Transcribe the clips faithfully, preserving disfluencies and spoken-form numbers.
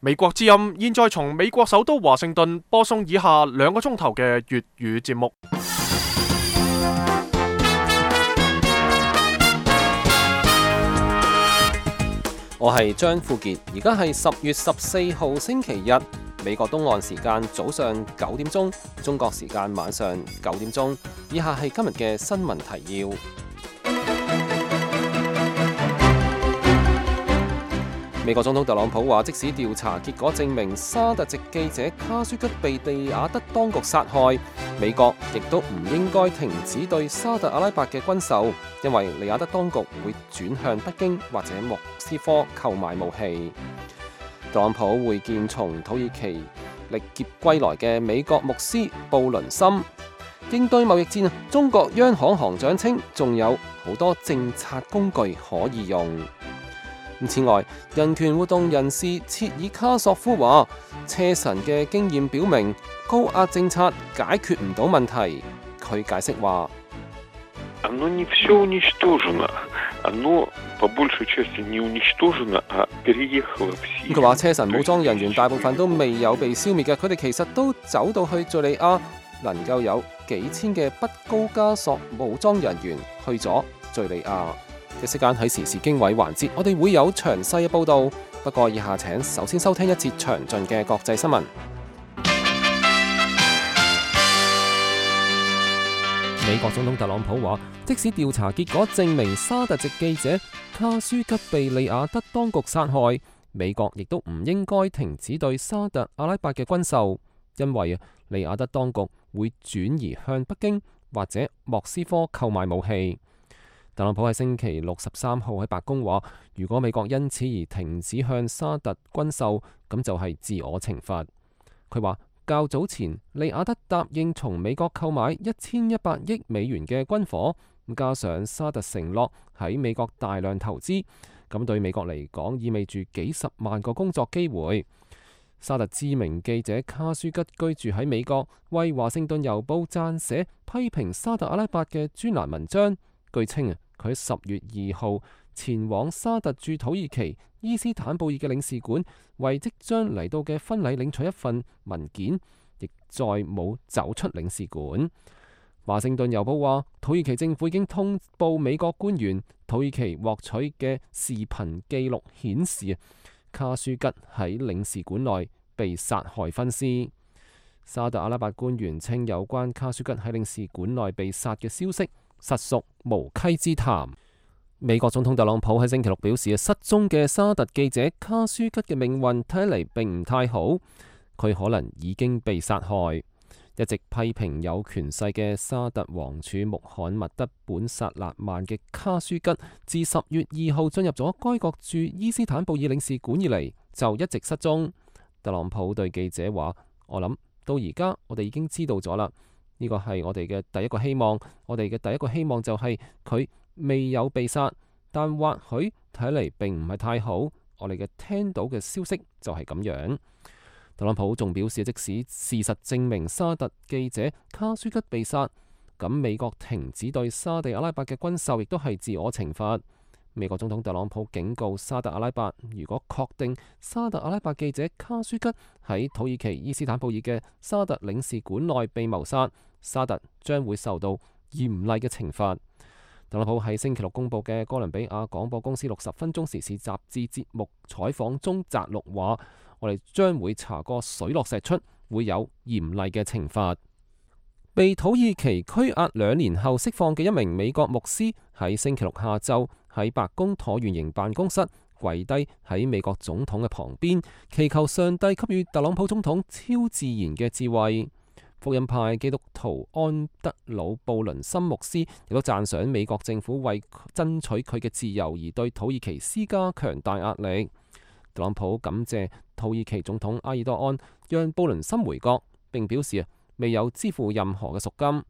美國之音現在從美國首都華盛頓播送以下兩個鐘頭嘅粵語節目。我係張富傑，而家係十月十四號星期日，美國東岸時間早上九點鐘，中國時間晚上九點鐘。以下係今日嘅新聞提要。美國總統特朗普話，即使調查結果證明沙特籍記者卡舒吉被利雅得當局殺害，美國亦都唔應該停止對沙特阿拉伯嘅軍售，因為利雅得當局會轉向北京或者莫斯科購買武器。特朗普會見從土耳其歷劫歸來嘅美國牧師布倫森。應對貿易戰，中國央行行長稱仲有好多政策工具可以用。此外，人權活動人士切爾卡索夫話，車臣嘅經驗表明高壓政策解決唔到問題。佢解釋話，佢話車臣武裝人員大部分都未有被消滅嘅，佢哋其實都走到去敘利亞，能夠有幾千嘅不高加索武裝人員去咗敘利亞。嘅時間喺時事經緯環節，我哋會有詳細嘅報道。不過以下請首先收聽一節詳盡嘅國際新聞。美國總統特朗普話，即使調查結果證明沙特籍記者卡舒吉被利雅得當局殺害，美國亦都唔應該停止對沙特阿拉伯嘅軍售，因為利雅得當局會轉移向北京或者莫斯科購買武器。特朗普喺星期六十三號喺白宮話，如果美國因此而停止向沙特軍售，咁就係自我懲罰。佢話較早前利雅得答應從美國購買一千一百億美元嘅軍火，加上沙特承諾喺美國大量投資，咁對美國嚟講意味住幾十萬個工作機會。沙特知名記者卡舒吉居住喺美國，為華盛頓郵報撰寫批評沙特阿拉伯嘅專欄文章。據稱啊，佢喺十月二號前往沙特駐土耳其伊斯坦布爾嘅領事館，為即將嚟到嘅婚禮領取一份文件，亦再冇走出領事館。華盛頓郵報話，土耳其政府已經通報美國官員，土耳其獲取嘅視頻記錄顯示，卡舒吉喺領事館內被殺害分屍。沙特阿拉伯官員稱，有關卡舒吉喺領事館內被殺嘅消息實屬無稽之談。美國總統特朗普喺星期六表示，失蹤嘅沙特記者卡舒吉嘅命運睇嚟並唔太好，佢可能已經被殺害。一直批評有權勢嘅沙特王儲穆罕默德本薩勒曼嘅卡舒吉，自十月二號進入咗該國駐伊斯坦布爾領事館以嚟，就一直失蹤。特朗普對記者話，我諗到而家我哋已經知道咗啦。呢個係我哋嘅第一個希望，我哋嘅第一個希望就係佢未有被殺，但或許睇嚟並唔係太好。我哋嘅聽到嘅消息就係咁樣。特朗普仲表示，即使事實證明沙特記者卡舒吉被殺，咁美國停止對沙地阿拉伯嘅軍售亦都係自我懲罰。美國總統特朗普警告沙特阿拉伯，如果確定沙特阿拉伯記者卡舒吉喺土耳其伊斯坦布爾嘅沙特領事館內被謀殺，沙特將會受到嚴厲嘅懲罰。特朗普喺星期六公佈嘅哥倫比亞廣播公司六十分鐘時事雜誌節目採訪中摘錄話，我哋將會查個水落石出，會有嚴厲嘅懲罰。被土耳其拘押兩年後釋放嘅一名美國牧師喺星期六下晝喺白宮橢圓形辦公室跪低喺美國總統嘅旁邊，祈求上帝給予特朗普總統超自然嘅智慧。福音派基督徒安德魯布倫森牧師亦都讚賞美國政府為爭取佢嘅自由而對土耳其施加強大壓力。特朗普感謝土耳其總統埃爾多安讓布倫森回國，並表示未有支付任何嘅贖金。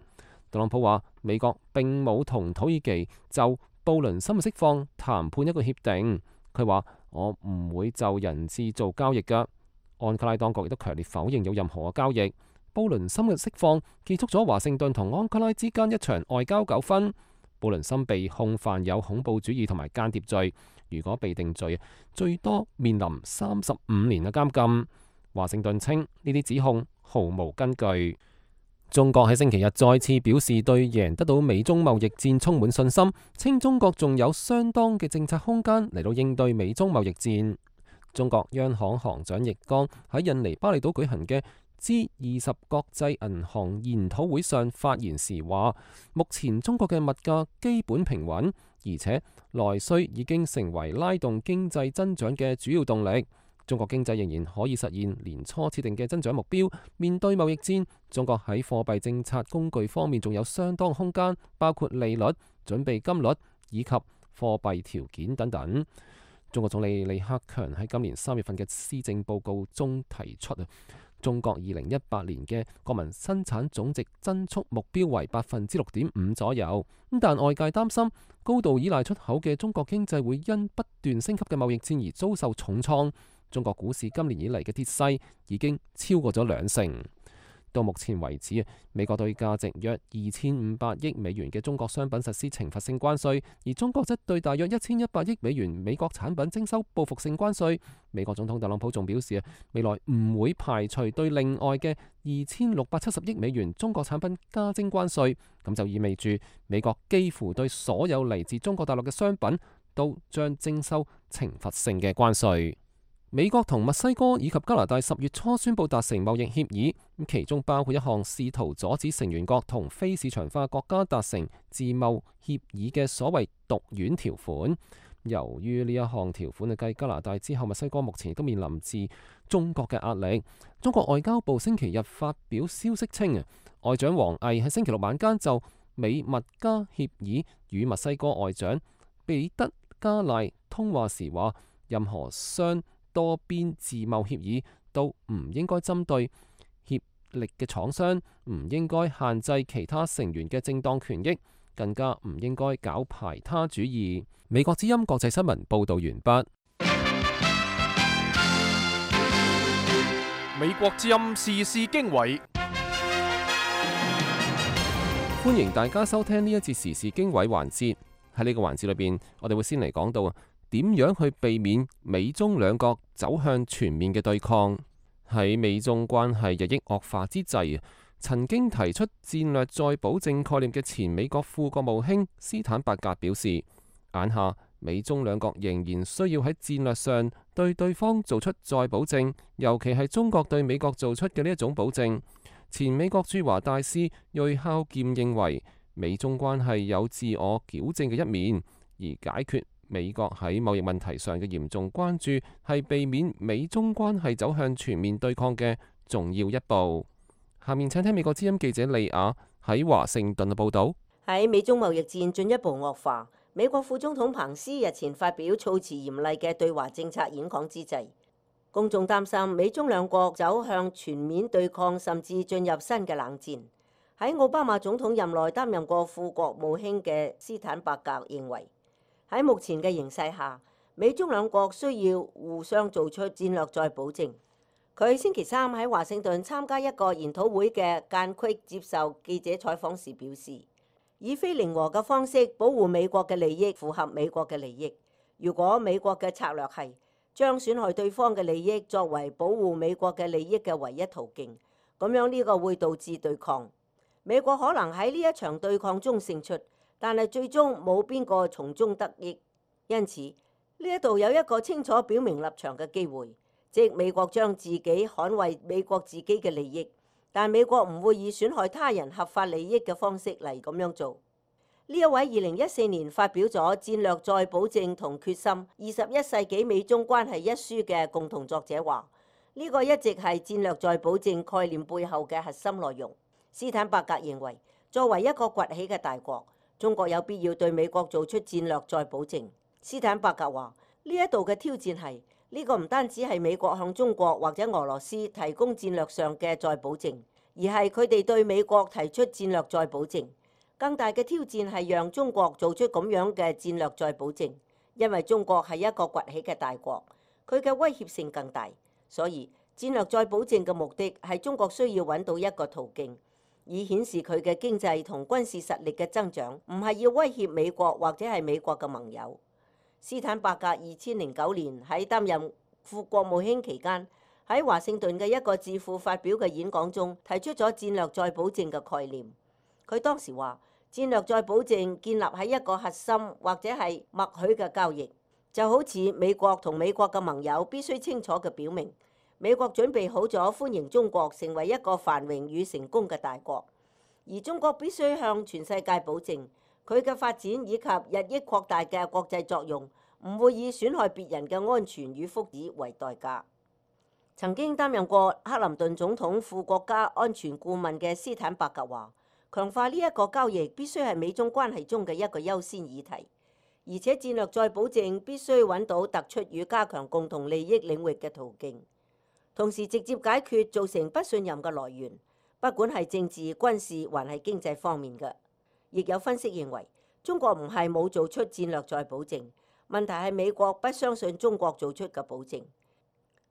特朗普話，美國並冇同土耳其就布倫森嘅釋放談判一個協定。佢話，我唔會就人質做交易㗎。安卡拉當局亦都強烈否認有任何嘅交易。布倫森嘅釋放結束咗華盛頓同安卡拉之間一場外交糾紛。布倫森被控犯有恐怖主義同埋間諜罪，如果被定罪，最多面臨三十五年嘅監禁。華盛頓稱呢啲指控毫無根據。中國喺星期日再次表示對贏得到美中貿易戰充滿信心，稱中國仲有相當嘅政策空間嚟到應對美中貿易戰。中國央行行長易綱喺印尼巴厘島舉行嘅 G 二十國際銀行研討會上發言時話，目前中國嘅物價基本平穩，而且內需已經成為拉動經濟增長嘅主要動力。中國經濟仍然可以實現年初設定嘅增長目標。面對貿易戰，中國喺貨幣政策工具方面仲有相當空間，包括利率、準備金率以及貨幣條件等等。中國總理李克強喺今年三月份嘅施政報告中提出啊，中國二零一八年嘅國民生產總值增速目標為百分之六點五左右。咁但外界擔心高度依賴出口嘅中國經濟會因不斷升級嘅貿易戰而遭受重創。中國股市今年以嚟嘅跌勢已經超過咗兩成。到目前為止，美國對價值約二千五百億美元嘅中國商品實施懲罰性關稅，而中國則對大約一千一百億美元美國產品徵收報復性關稅。美國總統特朗普仲表示，未來唔會排除對另外嘅二千六百七十億美元中國產品加徵關稅。咁就意味住美國幾乎對所有嚟自中國大陸嘅商品都將徵收懲罰性嘅關稅。美國同墨西哥以及加拿大十月初宣布達成貿易協議，其中包括一項試圖阻止成員國同非市場化國家達成自貿協議嘅所謂毒丸條款。由於呢一項條款係繼加拿大之後，墨西哥目前亦都面臨自中國嘅壓力。中國外交部星期日發表消息稱，外長王毅喺星期六晚間就美墨加協議與墨西哥外長彼得加賴通話時話，任何雙多邊自貿協議都唔應該針對協力嘅廠商，唔應該限制其他成員嘅正當權益，更加唔應該搞排他主義。美國之音國際新聞報道完畢。美國之音時事經緯，歡迎大家收聽呢一節時事經緯環節。喺呢個環節裏邊，我哋會先嚟講到點樣去避免美中兩國走向全面嘅對抗。喺美中關係日益惡化之際，曾經提出戰略再保證概念嘅前美國副國務卿斯坦伯格表示，眼下美中兩國仍然需要喺戰略上對對方做出再保證，尤其係中國對美國做出嘅呢一種保證。前美國駐華大使芮孝儉認為，美中關係有自我矯正嘅一面，而解決美國喺貿易問題上嘅嚴重關注係避免美中關係走向全面對抗嘅重要一步。下面請聽美國之音記者利亞喺華盛頓嘅報導。喺美中貿易戰進一步惡化，美國副總統彭斯日前發表措辭嚴厲嘅對華政策演講之際，公眾擔心美中兩國走向全面對抗，甚至進入新嘅冷戰。喺奧巴馬總統任內擔任過副國務卿嘅斯坦伯格認為，喺目前嘅形勢下，美中兩國需要互相做出戰略再保證。佢星期三喺華盛頓參加一個研討會嘅間隙接受記者採訪時表示，以非零和嘅方式保護美國嘅利益，符合美國嘅利益。如果美國嘅策略係將損害對方嘅利益作為保護美國嘅利益嘅唯一途徑，咁樣呢個會導致對抗。美國可能喺呢一場對抗中勝出，但係最終冇邊個從中得益。因此呢一度有一個清楚表明立場嘅機會，即美國將自己捍衛美國自己嘅利益，但美國唔會以損害他人合法利益嘅方式嚟咁樣做。呢一位二零一四年發表咗《戰略再保證同決心：二十一世紀美中關係》一書嘅共同作者話，呢個一直係戰略再保證概念背後嘅核心內容。斯坦伯格認為，作為一個崛起嘅大國，中國有必要對美國做出戰略再保證。斯坦伯格話，呢一度嘅挑戰係呢個唔單止係美國向中國或者俄羅斯提供戰略上嘅再保證，而係佢哋對美國提出戰略再保證。更大嘅挑戰係讓中國做出咁樣嘅戰略再保證，因為中國係一個崛起嘅大國，佢嘅威脅性更大。所以戰略再保證嘅目的係中國需要揾到一個途徑，以顯示佢嘅經濟同軍事實力嘅增長，唔係要威脅美國或者係美國嘅盟友。斯坦伯格二千零九年喺擔任副國務卿期間，喺華盛頓嘅一個智庫發表嘅演講中，提出咗戰略再保證嘅概念。佢當時話：戰略再保證建立喺一個核心或者係默許嘅交易，就好似美國同美國嘅盟友必須清楚嘅表明，美國準備好咗歡迎中國成為一個繁榮與成功嘅大國，而中國必須向全世界保證，佢嘅發展以及日益擴大嘅國際作用，唔會以損害別人嘅安全與福祉為代價。曾經擔任過克林頓總統副國家安全顧問嘅斯坦伯格話：強化呢一個交易必須係美中關係中嘅一個優先議題，而且戰略再保證必須揾到突出與加強共同利益領域嘅途徑，同時直接解決造成不信任嘅來源，不管係政治、軍事還係經濟方面嘅。亦有分析認為，中國唔係冇做出戰略再保證，問題係美國不相信中國做出嘅保證。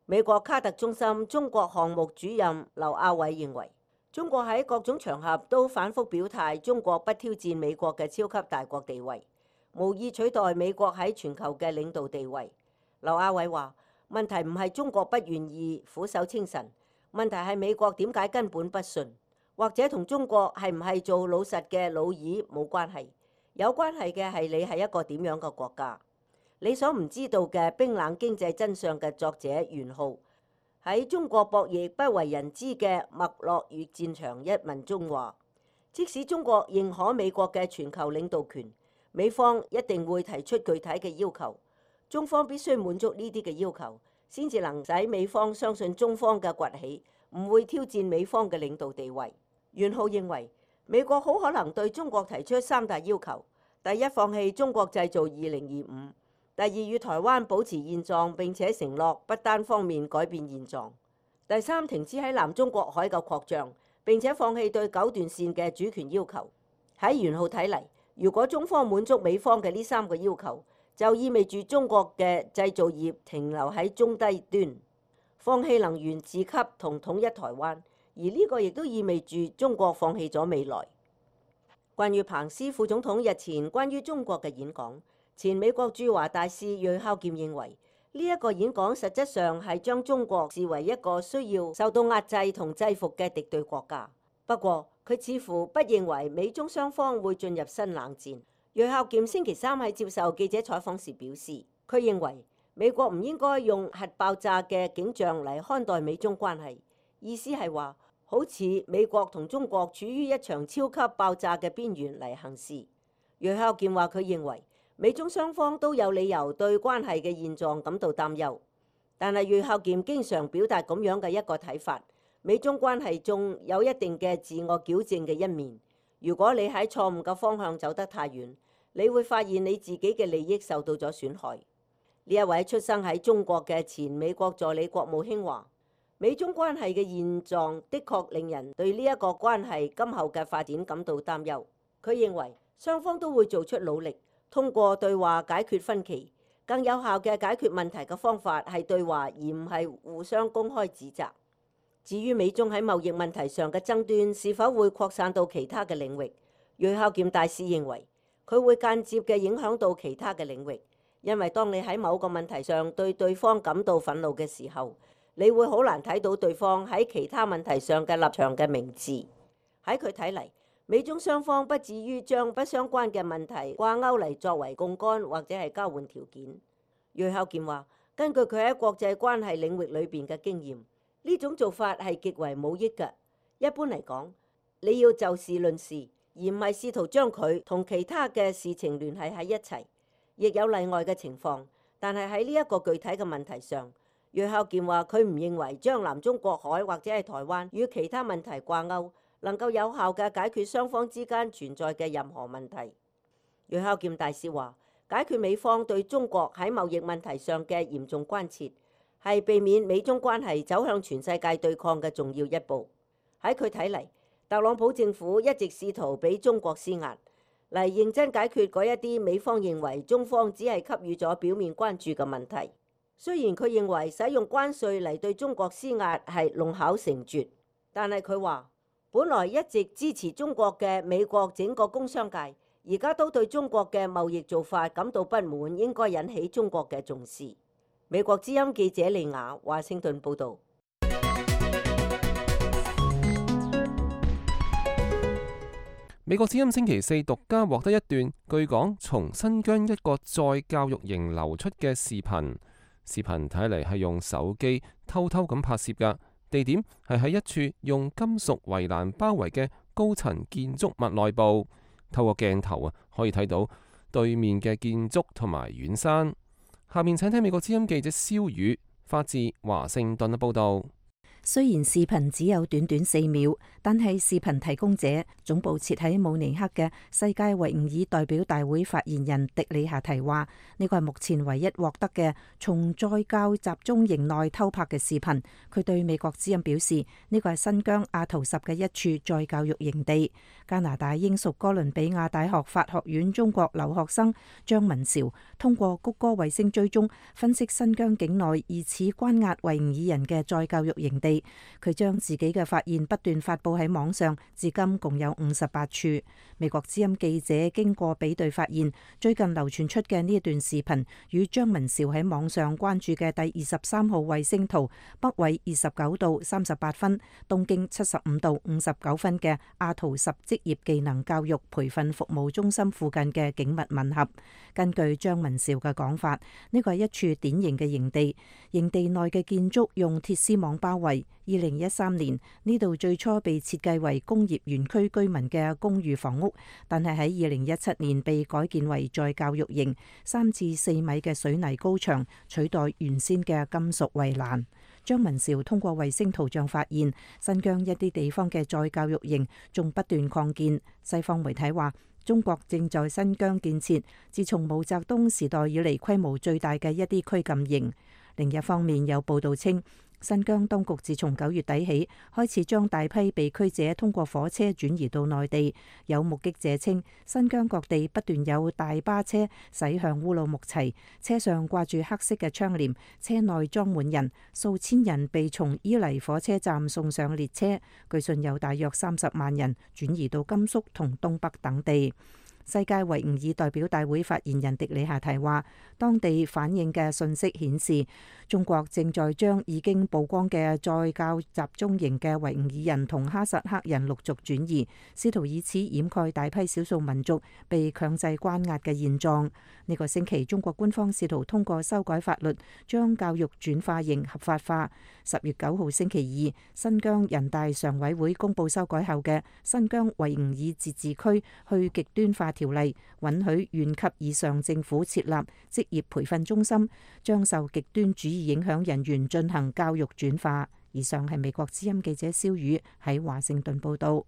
美國卡特中心中國項目主任劉亞偉認為，中國喺各種場合都反覆表態，中國不挑戰美國嘅超級大國地位，無意取代美國喺全球嘅領導地位。劉亞偉話：問題唔係中國不願意俯首稱臣，問題係美國點解根本不信。或者同中國係唔係做老實嘅老二冇關係，有關係嘅係你係一個點樣嘅國家。你所唔知道嘅冰冷經濟真相嘅作者袁浩喺中國博弈不為人知嘅脈絡與戰場一文中話：即使中國認可美國嘅全球領導權，美方一定會提出具體嘅要求，中方必須滿足呢啲嘅要求，先至能使美方相信中方嘅崛起唔會挑戰美方嘅領導地位。袁浩認為，美國好可能對中國提出三大要求：第一，放棄中國製造二零二五；第二，與台灣保持現狀並且承諾不單方面改變現狀；第三，停止喺南中國海嘅擴張，並且放棄對九段線嘅主權要求。喺袁浩睇嚟，如果中方滿足美方嘅呢三個要求，就意味住中國嘅製造業停留喺中低端，放棄能源自給同統一台灣。而呢個亦都意味住中國放棄咗未來。關於彭斯副總統日前關於中國嘅演講，前美國駐華大使芮孝儉認為，呢、這、一個演講實質上係將中國視為一個需要受到壓制同制服嘅敵對國家。不過，佢似乎不認為美中雙方會進入新冷戰。芮孝儉星期三喺接受記者採訪時表示，佢認為美國唔應該用核爆炸嘅景象嚟看待美中關係，意思係話，好似美國同中國處於一場超級爆炸嘅邊緣嚟行事。芮孝儉話：佢認為美中雙方都有理由對關係嘅現狀感到擔憂，但係芮孝儉經常表達咁樣嘅一個睇法：美中關係中有一定嘅自我矯正嘅一面。如果你喺錯誤嘅方向走得太遠，你會發現你自己嘅利益受到咗損害。呢一位出生喺中國嘅前美國助理國務卿話：美中關係嘅現狀的確令人對呢一個關係今後嘅發展感到擔憂。佢認為雙方都會做出努力，通過對話解決分歧。更有效嘅解決問題嘅方法係對話，而唔係互相公開指責。至於美中喺貿易問題上嘅爭端是否會擴散到其他嘅領域，芮孝儉大使認為佢會間接嘅影響到其他嘅領域，因為當你喺某個問題上對對方感到憤怒嘅時候，你會好難睇到對方喺其他問題上嘅立場嘅明智。喺佢睇嚟，美中雙方不至於將不相關嘅問題掛鈎嚟作為槓桿或者係交換條件。芮孝儉話：根據佢喺國際關係領域裏邊嘅經驗，呢種做法係極為冇益嘅。一般嚟講，你要就事論事，而唔係試圖將佢同其他嘅事情聯繫喺一齊。亦有例外嘅情況，但係喺呢一個具體嘅問題上，芮孝儉話：佢唔認為將南中國海或者係台灣與其他問題掛鈎，能夠有效嘅解決雙方之間存在嘅任何問題。芮孝儉大使話：解決美方對中國喺貿易問題上嘅嚴重關切，係避免美中關係走向全世界對抗嘅重要一步。喺佢睇嚟，特朗普政府一直試圖俾中國施壓，嚟認真解決嗰一啲美方認為中方只係給予咗表面關注嘅問題。雖然佢認為使用關稅嚟對中國施壓係弄巧成拙，但係佢話，本來一直支持中國嘅美國整個工商界而家都對中國嘅貿易做法感到不滿，應該引起中國嘅重視。美國之音記者利亞華盛頓報導。美國之音星期四獨家獲得一段據講從新疆一個再教育營流出嘅視頻，視頻睇嚟係用手機偷偷咁拍攝㗎，地點係喺一處用金屬圍欄包圍嘅高層建築物內部。透過鏡頭啊，可以睇到對面嘅建築同埋遠山。下面請聽美國之音記者蕭宇發自華盛頓嘅報導。雖然視頻只有短短四秒，但係視頻提供者總部設喺慕尼黑嘅世界維吾爾代表大會發言人迪里夏提話：呢個係目前唯一獲得嘅從再教集中營內偷拍嘅視頻。佢對美國之音表示，呢個係新疆阿圖什嘅一處再教育營地。加拿大英屬哥倫比亞大學法學院中國留學生張文韶通過谷歌衛星追蹤分析新疆境內疑似關押維吾爾人嘅再教育營地。佢將自己嘅發現不斷發佈喺網上，至今共有五十八處。美國之音記者經過比對發現，最近流傳出嘅呢一段視頻與張文韶喺網上關注嘅第二十三號衛星圖北緯二十九度三十八分、東經七十五度五十九分嘅阿圖什職業技能教育培訓服務中心附近嘅景物吻合。根據張文韶嘅講法，呢個係一處典型嘅營地，營地內嘅建築用鐵絲網包圍。二零一三年呢度最初被設計為工業園區居民嘅公寓房屋，但係喺二零一七年被改建為再教育營，三至四米嘅水泥高牆取代原先嘅金屬圍欄。張文韶通過衛星圖像發現，新疆一啲地方嘅再教育營仲不斷擴建。西方媒體話，中國正在新疆建設自從毛澤東時代以嚟規模最大嘅一啲拘禁營。另一方面，有報道稱，新疆當局自從九月底起開始將大批被拘者通過火車轉移到內地。有目擊者稱，新疆各地不斷有大巴車駛向烏魯木齊，車上掛住黑色嘅窗簾，車內裝滿人，數千人被從伊犁火車站送上列車。據信有大約三十萬人轉移到甘肅同東北等地。世界維吾爾代表大會發言人迪里夏提話，當地反映嘅信息顯示，中國正在將已經曝光嘅再教集中營嘅維吾爾人同哈薩克人陸續轉移，試圖以此掩蓋大批少數民族被強制關押嘅現狀。呢個星期，中國官方試圖通過修改法律，將教育轉化營合法化。十月九號星期二，新疆人大常委會公布修改後嘅新疆維吾爾自治區去極端化條例，允許縣級以上政府設立職業培訓中心，將受極端主義影響人員進行教育轉化。以上係美國之音記者蕭宇喺華盛頓報道。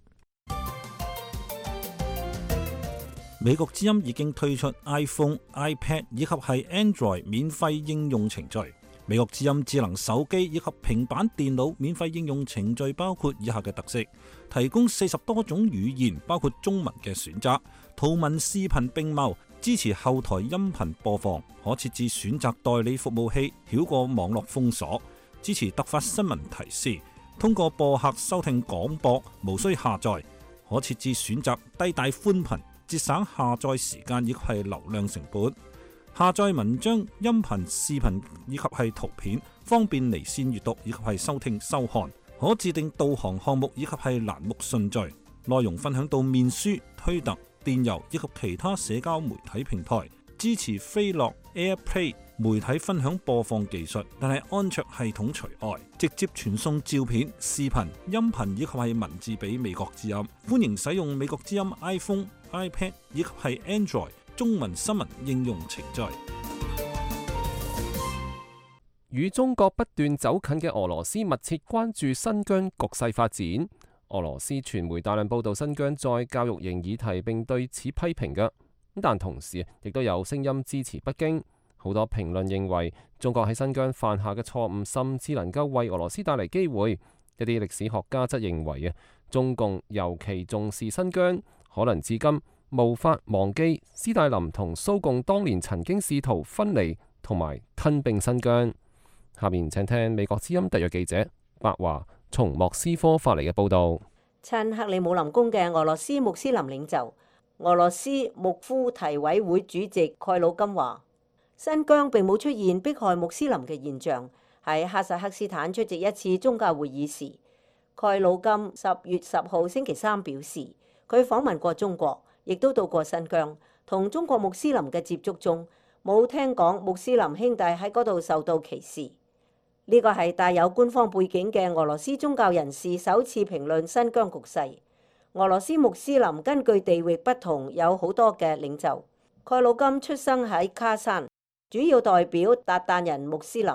美國之音已經推出 iPhone、iPad 以及係 Android 免費應用程序。美國之音智能手機以及平板電腦免費應用程序包括以下嘅特色：提供四十多種語言，包括中文嘅選擇，圖文視頻並茂，支持後台音頻播放，可設置選擇代理服務器，繞過網絡封鎖，支持突發新聞提示，通過播客收聽廣播，無需下載，可設置選擇低帶寬頻，節省下載時間以及係流量成本。下載文章、音頻、視頻以及係圖片，方便離線閱讀以及係收聽收看。可自定導航項目以及係欄目順序。內容分享到面書、推特、電郵以及其他社交媒體平台。支持飛樂 AirPlay 媒體分享播放技術，但係安卓系統除外。直接傳送照片、視頻、音頻以及係文字俾美國之音。歡迎使用美國之音 iPhone、iPad 以及係 Android中文新聞應用程序。與中國不斷走近嘅俄羅斯密切關注新疆局勢發展。俄羅斯傳媒大量報道新疆再教育營議題，並對此批評嘅。但同時亦都有聲音支持北京。好多評論認為，中國喺新疆犯下嘅錯誤，甚至能夠為俄羅斯帶嚟機會。一啲歷史學家則認為啊，中共尤其重視新疆，可能至今無法忘記斯大林同蘇共當年曾經試圖分離同埋吞併新疆。下面請聽美國之音特約記者白華從莫斯科發嚟嘅報導。親克里姆林宮嘅俄羅斯穆斯林領袖俄羅斯穆夫提委會主席蓋魯金話：新疆並冇出現迫害穆斯林嘅現象。喺哈薩克斯坦出席一次宗教會議時，蓋魯金十月十號星期三表示，佢訪問過中國，亦都到過新疆，同中國穆斯林嘅接觸中，冇聽講穆斯林兄弟喺嗰度受到歧視。呢個係帶有官方背景嘅俄羅斯宗教人士首次評論新疆局勢。俄羅斯穆斯林根據地域不同有好多嘅領袖。蓋魯金出生喺卡山，主要代表韃靼人穆斯林。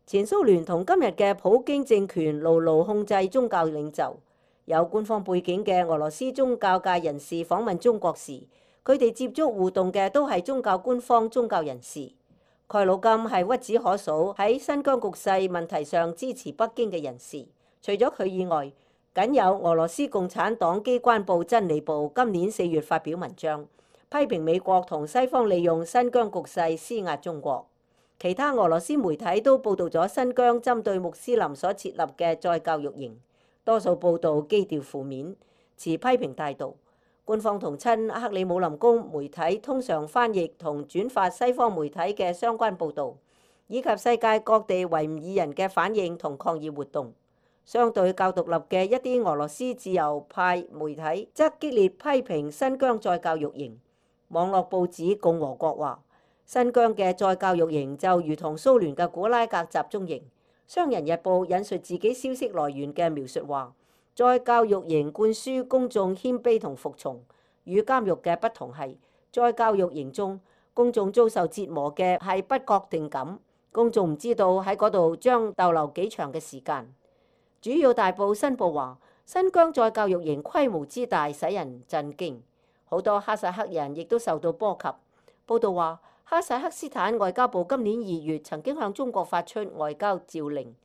前蘇聯同今日嘅普京政權牢牢控制宗教領袖。有官方背景嘅俄羅斯宗教界人士訪問中國時，佢哋接觸互動嘅都係宗教官方宗教人士。蓋魯金係屈指可數喺新疆局勢問題上支持北京嘅人士。除咗佢以外，僅有俄羅斯共產黨機關報真理報今年四月發表文章，批評美國同西方利用新疆局勢施壓中國。其他俄羅斯媒體都報導咗新疆針對穆斯林所設立嘅再教育營，多數報導基調負面，持批評態度。官方同親克里姆林宮媒體通常翻譯同轉發西方媒體嘅相關報導，以及世界各地維吾爾人嘅反應同抗議活動。相對較獨立嘅一啲俄羅斯自由派媒體則激烈批評新疆再教育營。網絡報紙共和國話，新疆嘅再教育營就如同蘇聯嘅古拉格集中營。商人日報引述自己消息來源嘅描述話，再教育營灌輸公眾謙卑同服從，與監獄嘅不同係，再教育營中公眾遭受折磨嘅係不確定感，公眾唔知道喺嗰度將逗留幾長嘅時間。主要大報新報話，新疆再教育營規模之大使人震驚，好多哈薩克人亦都受到波及。報道話，哈薩克斯坦外交部今年二月曾經向中國發出外交召令，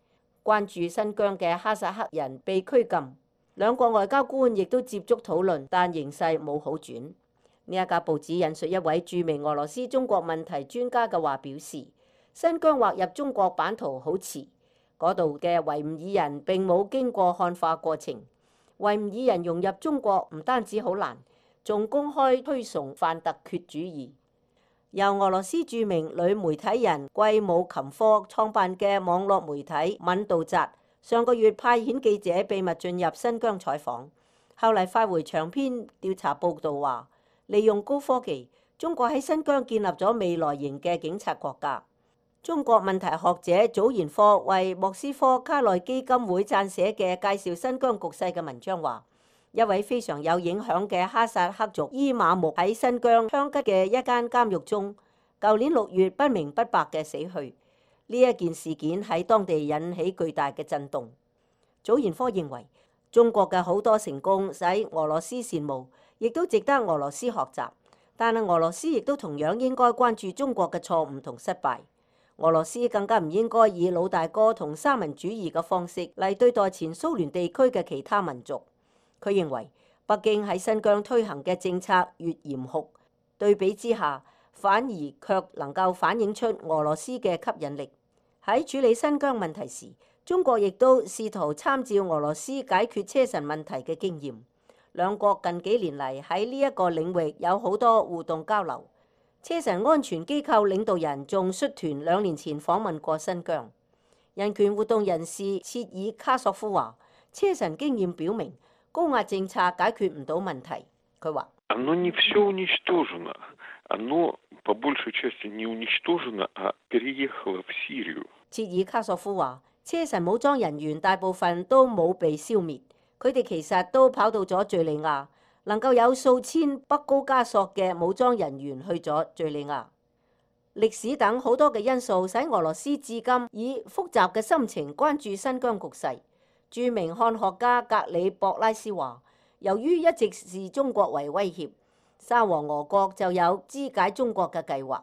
關注新疆嘅哈薩克人被拘禁。兩國外交官亦都接觸討論，但形勢冇好轉。呢一家報紙引述一位著名俄羅斯中國問題專家嘅話表示，新疆劃入中國版圖好遲。嗰度嘅維吾爾人並冇經過漢化過程，維吾爾人融入中國唔單止好難，仲公開推崇泛突厥主義。由俄羅斯著名女媒體人季姆琴科創辦嘅網絡媒體敏道扎，上個月派遣記者秘密進入新疆採訪，後嚟發回長篇調查報導話，利用高科技，中國喺新疆建立咗未來型嘅警察國家。中國問題學者祖賢科為莫斯科卡內基金會撰寫嘅介紹新疆局勢嘅文章話，一位非常有影響嘅哈薩克族伊瑪目喺新疆香吉嘅一間監獄中，舊年六月不明不白嘅死去。呢一件事件喺當地引起巨大嘅震動。祖賢科認為，中國嘅好多成功使俄羅斯羨慕，亦都值得俄羅斯學習，但係俄羅斯亦都同樣應該關注中國嘅錯誤同失敗。俄羅斯更加唔應該以老大哥同三民主義嘅方式嚟對待前蘇聯地區嘅其他民族。佢認為北京喺新疆推行嘅政策越嚴酷，對比之下反而卻能夠反映出俄羅斯嘅吸引力。喺處理新疆問題時，中國亦都試圖參照俄羅斯解決車臣問題嘅經驗。兩國近幾年嚟喺呢一個領域有好多互動交流。車臣安全機構領導人仲率團兩年前訪問過新疆。人權活動人士切爾卡索夫話，車臣經驗表明高壓政策解決唔到問題。佢話：切爾卡索夫話，車臣武裝人員大部分都冇被消滅，佢哋其實都跑到咗敘利亞。能夠有數千北高加索嘅武裝人員去咗敘利亞。歷史等好多嘅因素使俄羅斯至今以複雜嘅心情關注新疆局勢。著名漢學家格里博拉斯話，由於一直視中國為威脅，沙皇俄國就有肢解中國嘅計劃。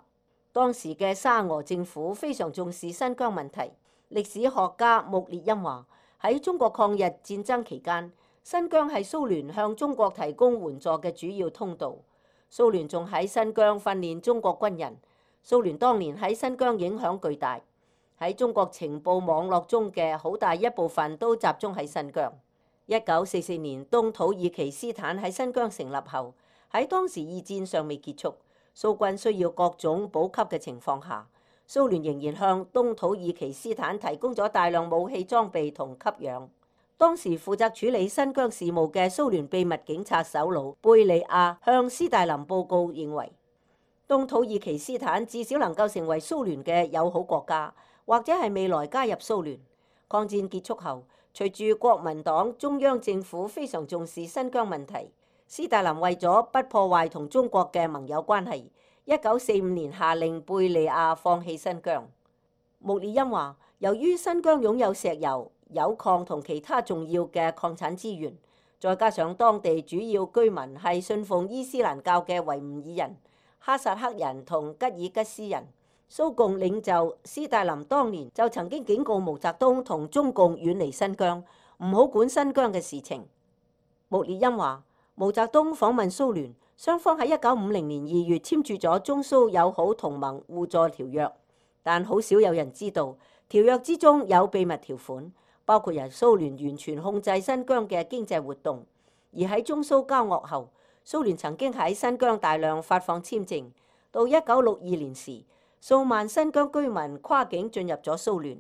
當時嘅沙俄政府非常重視新疆問題。歷史學家穆列因話，喺中國抗日戰爭期間，新疆係蘇聯向中國提供援助嘅主要通道。蘇聯仲喺新疆訓練中國軍人。蘇聯當年喺新疆影響巨大，喺中國情報網絡中嘅好大一部分都集中喺新疆。一九四四年東土耳其斯坦喺新疆成立後，喺當時二戰尚未結束，蘇軍需要各種補給嘅情況下，蘇聯仍然向東土耳其斯坦提供咗大量武器裝備同給養。當時負責處理新疆事務嘅蘇聯秘密警察首腦貝利亞向斯大林報告認為，東土耳其斯坦至少能夠成為蘇聯嘅友好國家，或者係未來加入蘇聯。抗戰結束後，隨住國民黨中央政府非常重視新疆問題，斯大林為咗不破壞同中國嘅盟友關係，一九四五年下令貝利亞放棄新疆。穆列因話，由於新疆擁有石油、鈾礦同其他重要嘅礦產資源，再加上當地主要居民係信奉伊斯蘭教嘅維吾爾人、哈薩克人同吉爾吉斯人，蘇共領袖斯大林當年就曾經警告毛澤東同中共遠離新疆，唔好管新疆嘅事情。穆列因話，毛澤東訪問蘇聯，雙方喺一九五零年二月簽署咗中蘇友好同盟互助條約，但好少有人知道條約之中有秘密條款，包括由蘇聯完全控制新疆嘅經濟活動。而喺中蘇交惡後，蘇聯曾經喺新疆大量發放簽證。到一九六二年時，數萬新疆居民跨境進入咗蘇聯。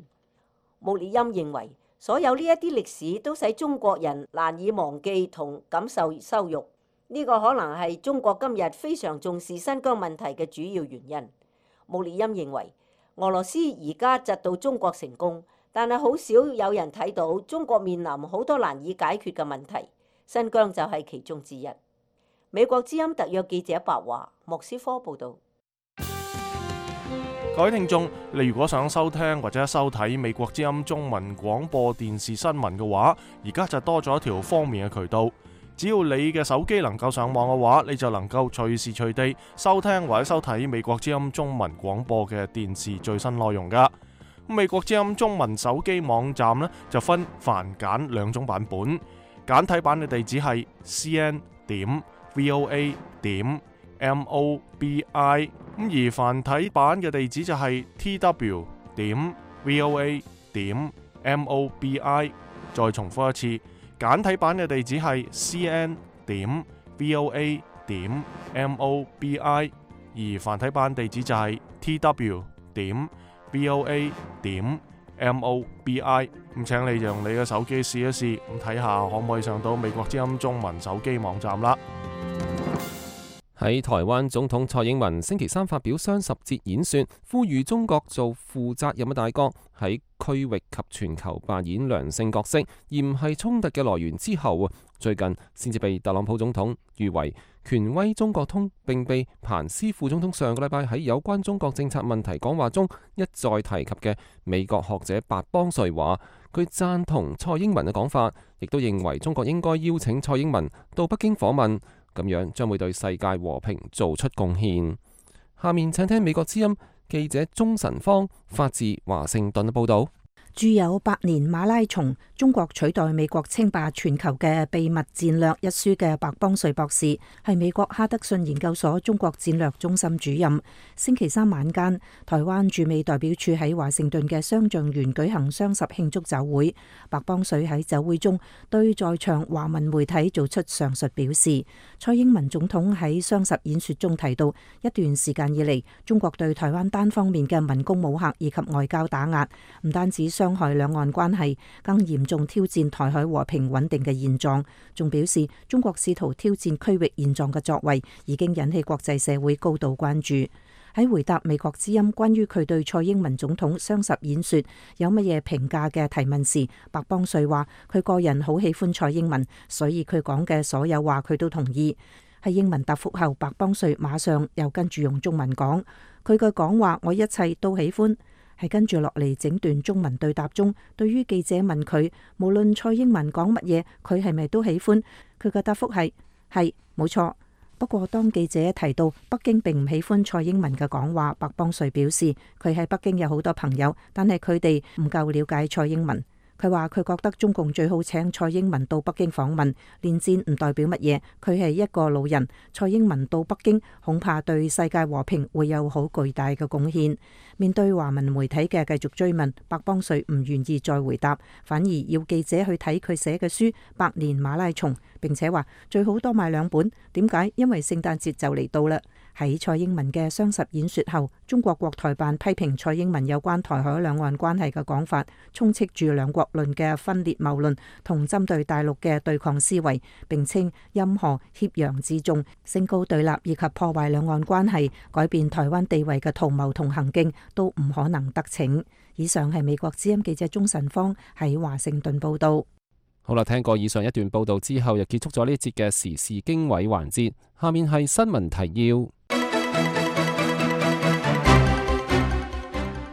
穆列因認為，所有呢一啲歷史都使中國人難以忘記同感受羞辱。呢個可能係中國今日非常重視新疆問題嘅主要原因。穆列因認為，俄羅斯而家窒到中國成功，但係好少有人睇到中國面臨好多難以解決嘅問題，新疆就係其中之一。美國之音特約記者白華，莫斯科報導。各位聽眾，你如果想收聽或者收睇美國之音中文廣播電視新聞嘅話，而家就多咗一條方便嘅渠道。只要你嘅手機能夠上網嘅話，你就能夠隨時隨地收聽或者收睇美國之音中文廣播嘅電視最新內容噶。美國之音中文手機網站呢，就分繁簡兩種版本，簡體版嘅地址係 c n 點 v o a 點 m o b i， 咁而繁體版嘅地址就係 t w 點 v o a 點 m o b i。再重複一次，簡體版嘅地址係 c n 點 v o a 點 m o b i， 而繁體版地址就係 t w 點 v o a 點 m o b i。咁請你用你嘅手機試一試，咁睇下可唔可以上到美國之音中文手機網站啦。喺台灣總統蔡英文星期三發表雙十節演說，呼籲中國做負責任嘅大國，喺區域及全球扮演良性角色，而唔係衝突嘅來源之後，最近先至被特朗普總統譽為權威中國通，並被彭斯副總統上個禮拜喺有關中國政策問題講話中一再提及嘅美國學者白邦瑞話，佢贊同蔡英文嘅講法，亦都認為中國應該邀請蔡英文到北京訪問。咁樣將會對世界和平做出貢獻。下面請聽美國之音記者鍾晨芳發自華盛頓嘅報導。著有《百年馬拉松：中國取代美國稱霸全球嘅秘密戰略》一書嘅白邦瑞博士，係美國哈德遜研究所中國戰略中心主任。星期三晚間，台灣駐美代表處喺華盛頓嘅雙橡園舉行雙十慶祝酒會。白邦瑞喺酒會中對在場華文媒體做出上述表示。蔡英文總統喺雙十演說中提到，一段時間以嚟，中國對台灣單方面嘅文攻武嚇以及外交打壓，唔單止傷害兩岸關係，更嚴重挑戰台海和平穩定嘅現狀。仲表示，中國試圖挑戰區域現狀嘅作為，已經引起國際社會高度關注。喺回答美國之音關於佢對蔡英文總統雙十演說有乜嘢評價嘅提問時，白邦瑞話：佢個人好喜歡蔡英文，所以佢講嘅所有話佢都同意。喺英文答覆後，白邦瑞馬上又跟住用中文講：佢嘅講話我一切都喜歡。係跟住落嚟整段中文對答中，對於記者問佢無論蔡英文講乜嘢，佢係咪都喜歡？佢嘅答覆係係冇錯。不過當記者提到北京並唔喜歡蔡英文嘅講話，白邦瑞表示佢喺北京有好多朋友，但係佢哋唔夠了解蔡英文。佢話佢覺得中共最好請蔡英文到北京訪問，連戰唔代表乜嘢，佢係一個老人，蔡英文到北京恐怕對世界和平會有好巨大嘅貢獻。面對華文媒體嘅繼續追問，白邦瑞唔願意再回答，反而要記者去睇佢寫嘅書《百年馬拉松》，並且話最好多買兩本。點解？因為聖誕節就嚟到啦。喺蔡英文嘅雙十演說後，中國國台辦批評蔡英文有關台海兩岸關係嘅講法，充斥住兩國論嘅分裂謬論同針對大陸嘅對抗思維，並稱任何挾洋自重、升高對立以及破壞兩岸關係、改變台灣地位嘅圖謀同行徑都唔可能得逞。以上係美國之音記者鍾晨芳喺華盛頓報道。好啦，聽過以上一段報道之後，又結束咗呢節嘅時事經緯環節。下面係新聞提要。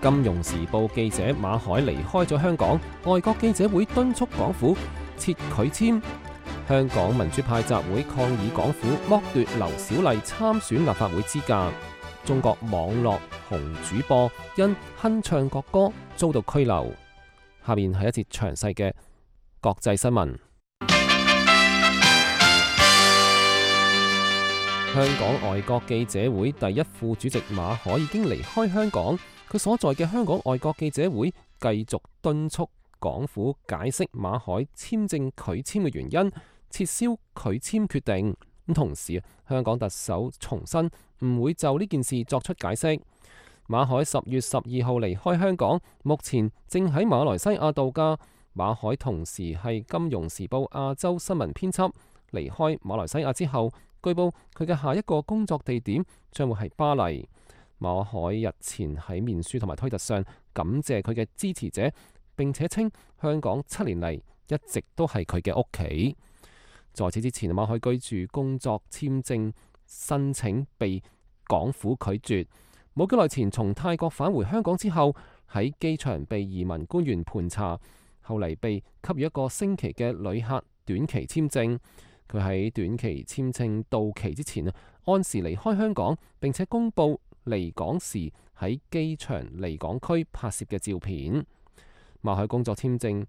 金融時報記者馬凱離開咗香港，外國記者會敦促港府撤拒簽。香港民主派集會抗議港府剝奪劉小麗參選立法會資格。中國網絡紅主播因哼唱國歌遭到拘留。下面係一節詳細嘅國際新聞。香港外國記者會第一副主席馬凱已經離開香港，佢所在嘅香港外國記者會繼續敦促港府解釋馬凱簽證拒簽嘅原因，撤銷拒簽決定。咁同時，香港特首重申唔會就呢件事作出解釋。馬凱十月十二號離開香港，目前正喺馬來西亞度假。馬凱同時係《金融時報》亞洲新聞編輯。離開馬來西亞之後，據報佢嘅下一個工作地點將會係巴黎。馬凱日前喺面書同埋推特上感謝佢嘅支持者，並且稱香港七年嚟一直都係佢嘅屋企。在此之前，馬凱居住工作簽證申請被港府拒絕。冇幾耐前從泰國返回香港之後，喺機場被移民官員盤查，後嚟被給予一個星期嘅旅客短期簽證。佢喺短期簽證到期之前按時離開香港，並且公佈離港時喺機場離港區拍攝嘅照片。馬凱工作簽證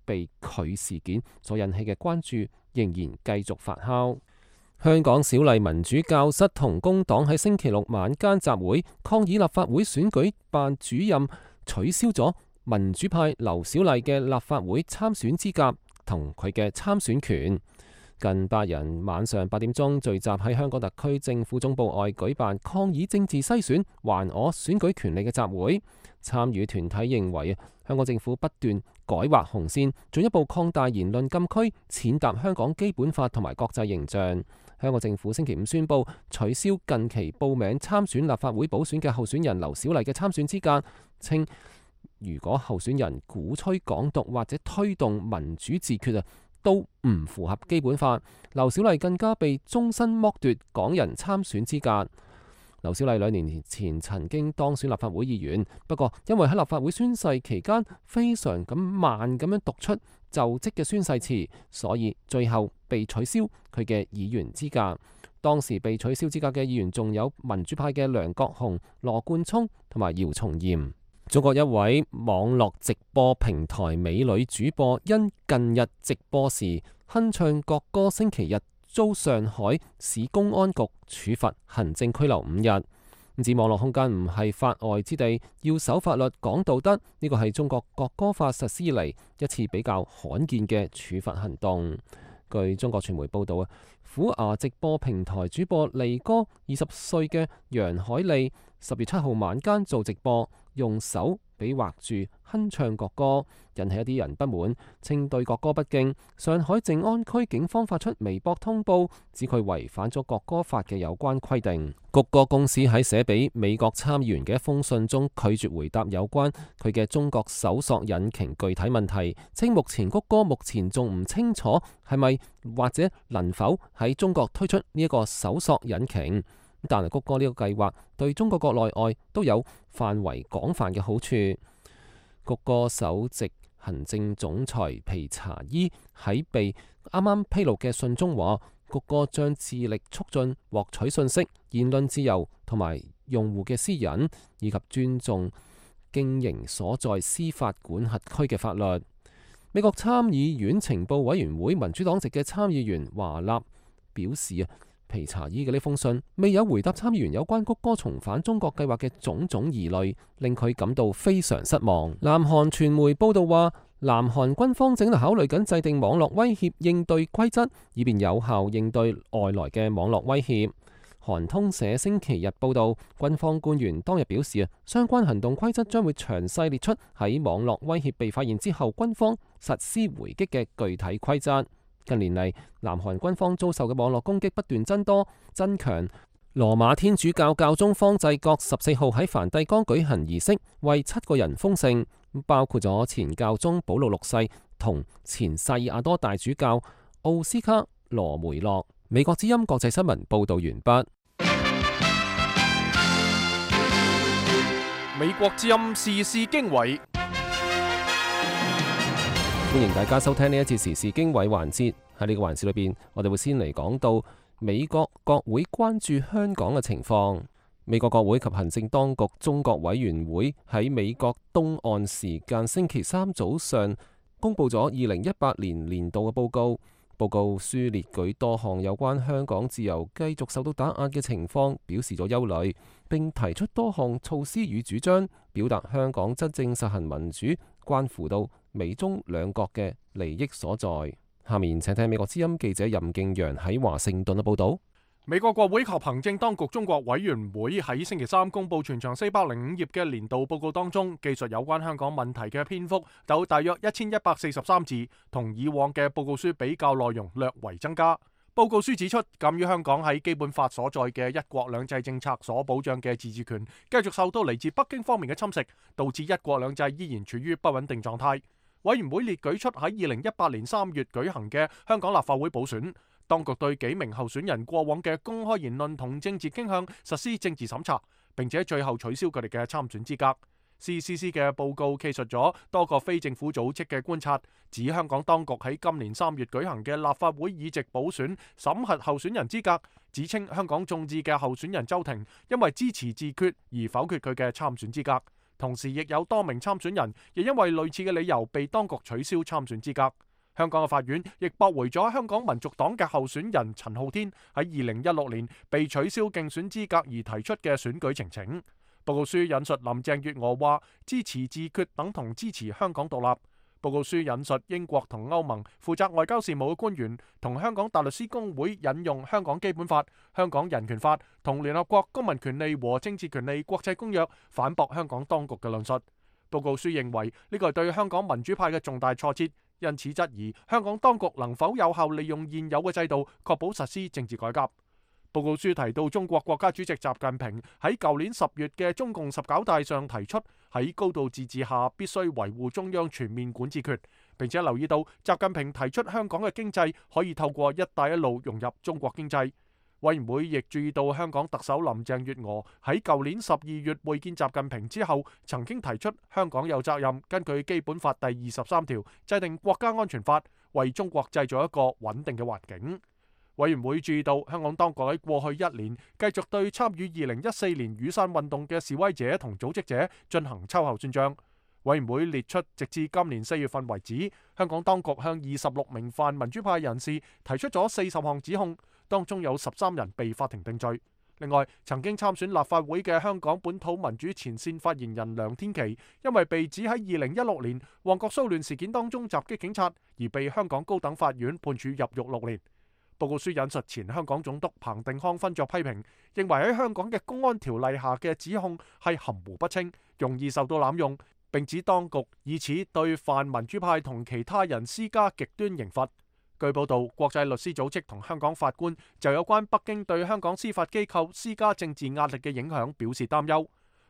被拒事件所引起嘅關注仍然繼續發酵。香港小麗民主教室同工黨喺星期六晚間集會，抗議立法會選舉辦主任取消咗民主派劉小麗嘅立法會參選資格同佢嘅參選權。近百人晚上八點鐘聚集喺香港特區政府總部外舉辦抗議政治篩選還我選舉權利嘅集會。參與團體認為香港政府不斷改劃紅線，進一步擴大言論禁區，踐踏香港基本法同埋國際形象。香港政府星期五宣布取消近期報名參選立法會補選嘅候選人劉小麗嘅參選資格，稱如果候選人鼓吹港獨或者推動民主自決啊，都唔符合基本法。劉小麗更加被終身剝奪港人參選資格。劉小麗兩年前曾經當選立法會議員，不過因為喺立法會宣誓期間非常咁慢咁樣讀出就職嘅宣誓詞，所以最後被取消佢嘅議員資格。當時被取消資格嘅議員仲有民主派嘅梁國雄、羅冠聰同埋姚松炎。中國一位網絡直播平台美女主播因近日直播時哼唱國歌，星期日遭上海市公安局處罰行政拘留五日。指網絡空間唔係法外之地，要守法律講道德，呢個係中國國歌法實施以嚟一次比較罕見嘅處罰行動。據中國傳媒報道啊，虎牙直播平台主播利哥二十歲嘅楊海利十月七號晚間做直播，用手比劃住哼唱國歌，引起一啲人不滿，稱對國歌不敬。上海靜安區警方發出微博通報，指佢違反咗國歌法嘅有關規定。谷歌公司喺寫俾美國參議員嘅一封信中拒絕回答有關佢嘅中國搜索引擎具體問題，稱目前谷歌目前仲唔清楚係咪或者能否喺中國推出呢一個搜索引擎。但係谷歌呢個計劃對中國國內外都有範圍廣泛嘅好處。谷歌首席行政總裁皮查伊喺被啱啱披露嘅信中話，谷歌將致力促進獲取信息、言論自由同埋用戶嘅私隱，以及尊重經營所在司法管轄區嘅法律。美國參議院情報委員會民主黨籍嘅參議員華納表示啊，皮查爾嘅呢封信未有回答參議員有關谷歌重返中國計劃嘅種種疑慮，令佢感到非常失望。南韓傳媒報道話，南韓軍方正考慮緊制定網絡威脅應對規則，以便有效應對外來嘅網絡威脅。韓通社星期日報道，軍方官員當日表示啊，相關行動規則將會詳細列出喺網絡威脅被發現之後，軍方實施回擊嘅具體規則。近年嚟，南韓軍方遭受嘅網絡攻擊不斷增多增強。羅馬天主教教宗方濟各十四號喺梵蒂岡舉行儀式，為七個人封聖，包括咗前教宗保祿六世同前薩爾瓦多大主教奧斯卡羅梅洛。美國之音國際新聞報道完畢。美國之音時事經緯，歡迎大家收聽呢一次時事經緯環節。喺呢個環節裏邊，我哋會先嚟講到美國國會關注香港嘅情況。美國國會及行政當局中國委員會喺美國東岸時間星期三早上公布咗二零一八年年度嘅報告。報告書列舉多項有關香港自由繼續受到打壓嘅情況，表示咗憂慮，並提出多項措施與主張，表達香港真正實行民主關乎到美中兩國嘅利益所在。下面請聽美國之音記者任敬陽喺華盛頓嘅報道。美國國會及行政當局中國委員會喺星期三公布全長四百零五頁嘅年度報告當中，記述有關香港問題嘅篇幅有大約一千一百四十三字，同以往嘅報告書比較內容略為增加。報告書指出，鑒於香港喺基本法所在嘅一國兩制政策所保障嘅自治權繼續受到嚟自北京方面嘅侵蝕，導致一國兩制依然處於不穩定狀態。委員會列舉出喺二零一八年三月舉行嘅香港立法會補選，當局對幾名候選人過往嘅公開言論同政治傾向實施政治審查，並且最後取消佢哋嘅參選資格。C C C 嘅報告記述咗多個非政府組織嘅觀察，指香港當局喺今年三月舉行嘅立法會議席補選審核候選人資格，指稱香港眾志嘅候選人周庭因為支持自決而否決佢嘅參選資格，同時亦有多名參選人亦因為類似嘅理由被當局取消參選資格。香港嘅法院亦駁回咗香港民族黨嘅候選人陳浩天喺二零一六年被取消競選資格而提出嘅選舉呈請。報告書引述林鄭月娥話，支持自決等同支持香港獨立。報告書引述英國同歐盟負責外交事務嘅官員同香港大律師公會引用香港基本法、香港人權法同聯合國公民權利和政治權利國際公約反駁香港當局嘅論述。報告書認為呢個係對香港民主派嘅重大挫折，因此質疑香港當局能否有效利用現有嘅制度，確保實施政治改革。報告書提到，中國國家主席習近平喺舊年十月嘅中共十九大上提出，喺高度自治下必須維護中央全面管治權，並且留意到習近平提出香港嘅經濟可以透過一帶一路融入中國經濟。委員會亦注意到香港特首林鄭月娥喺舊年十二月會見習近平之後，曾經提出香港有責任根據基本法第二十三條制定國家安全法，為中國製造一個穩定嘅環境。委員會注意到香港當局喺過去一年繼續對參與二零一四年雨傘運動嘅示威者同組織者進行秋後算賬。委員會列出直至今年四月份為止，香港當局向二十六名泛民主派人士提出咗四十項指控，當中有十三人被法庭定罪。另外，曾經參選立法會嘅香港本土民主前線發言人梁天琦，因為被指喺二零一六年旺角騷亂事件當中襲擊警察，而被香港高等法院判處入獄六年。報告書引述前香港總督彭定康分作批評，認為喺香港嘅公安條例下嘅指控係含糊不清，容易受到濫用，並指當局以此對泛民主派同其他人施加極端刑罰。據報道，國際律師組織同香港法官就有關北京對香港司法機構施加政治壓力嘅影響表示擔憂。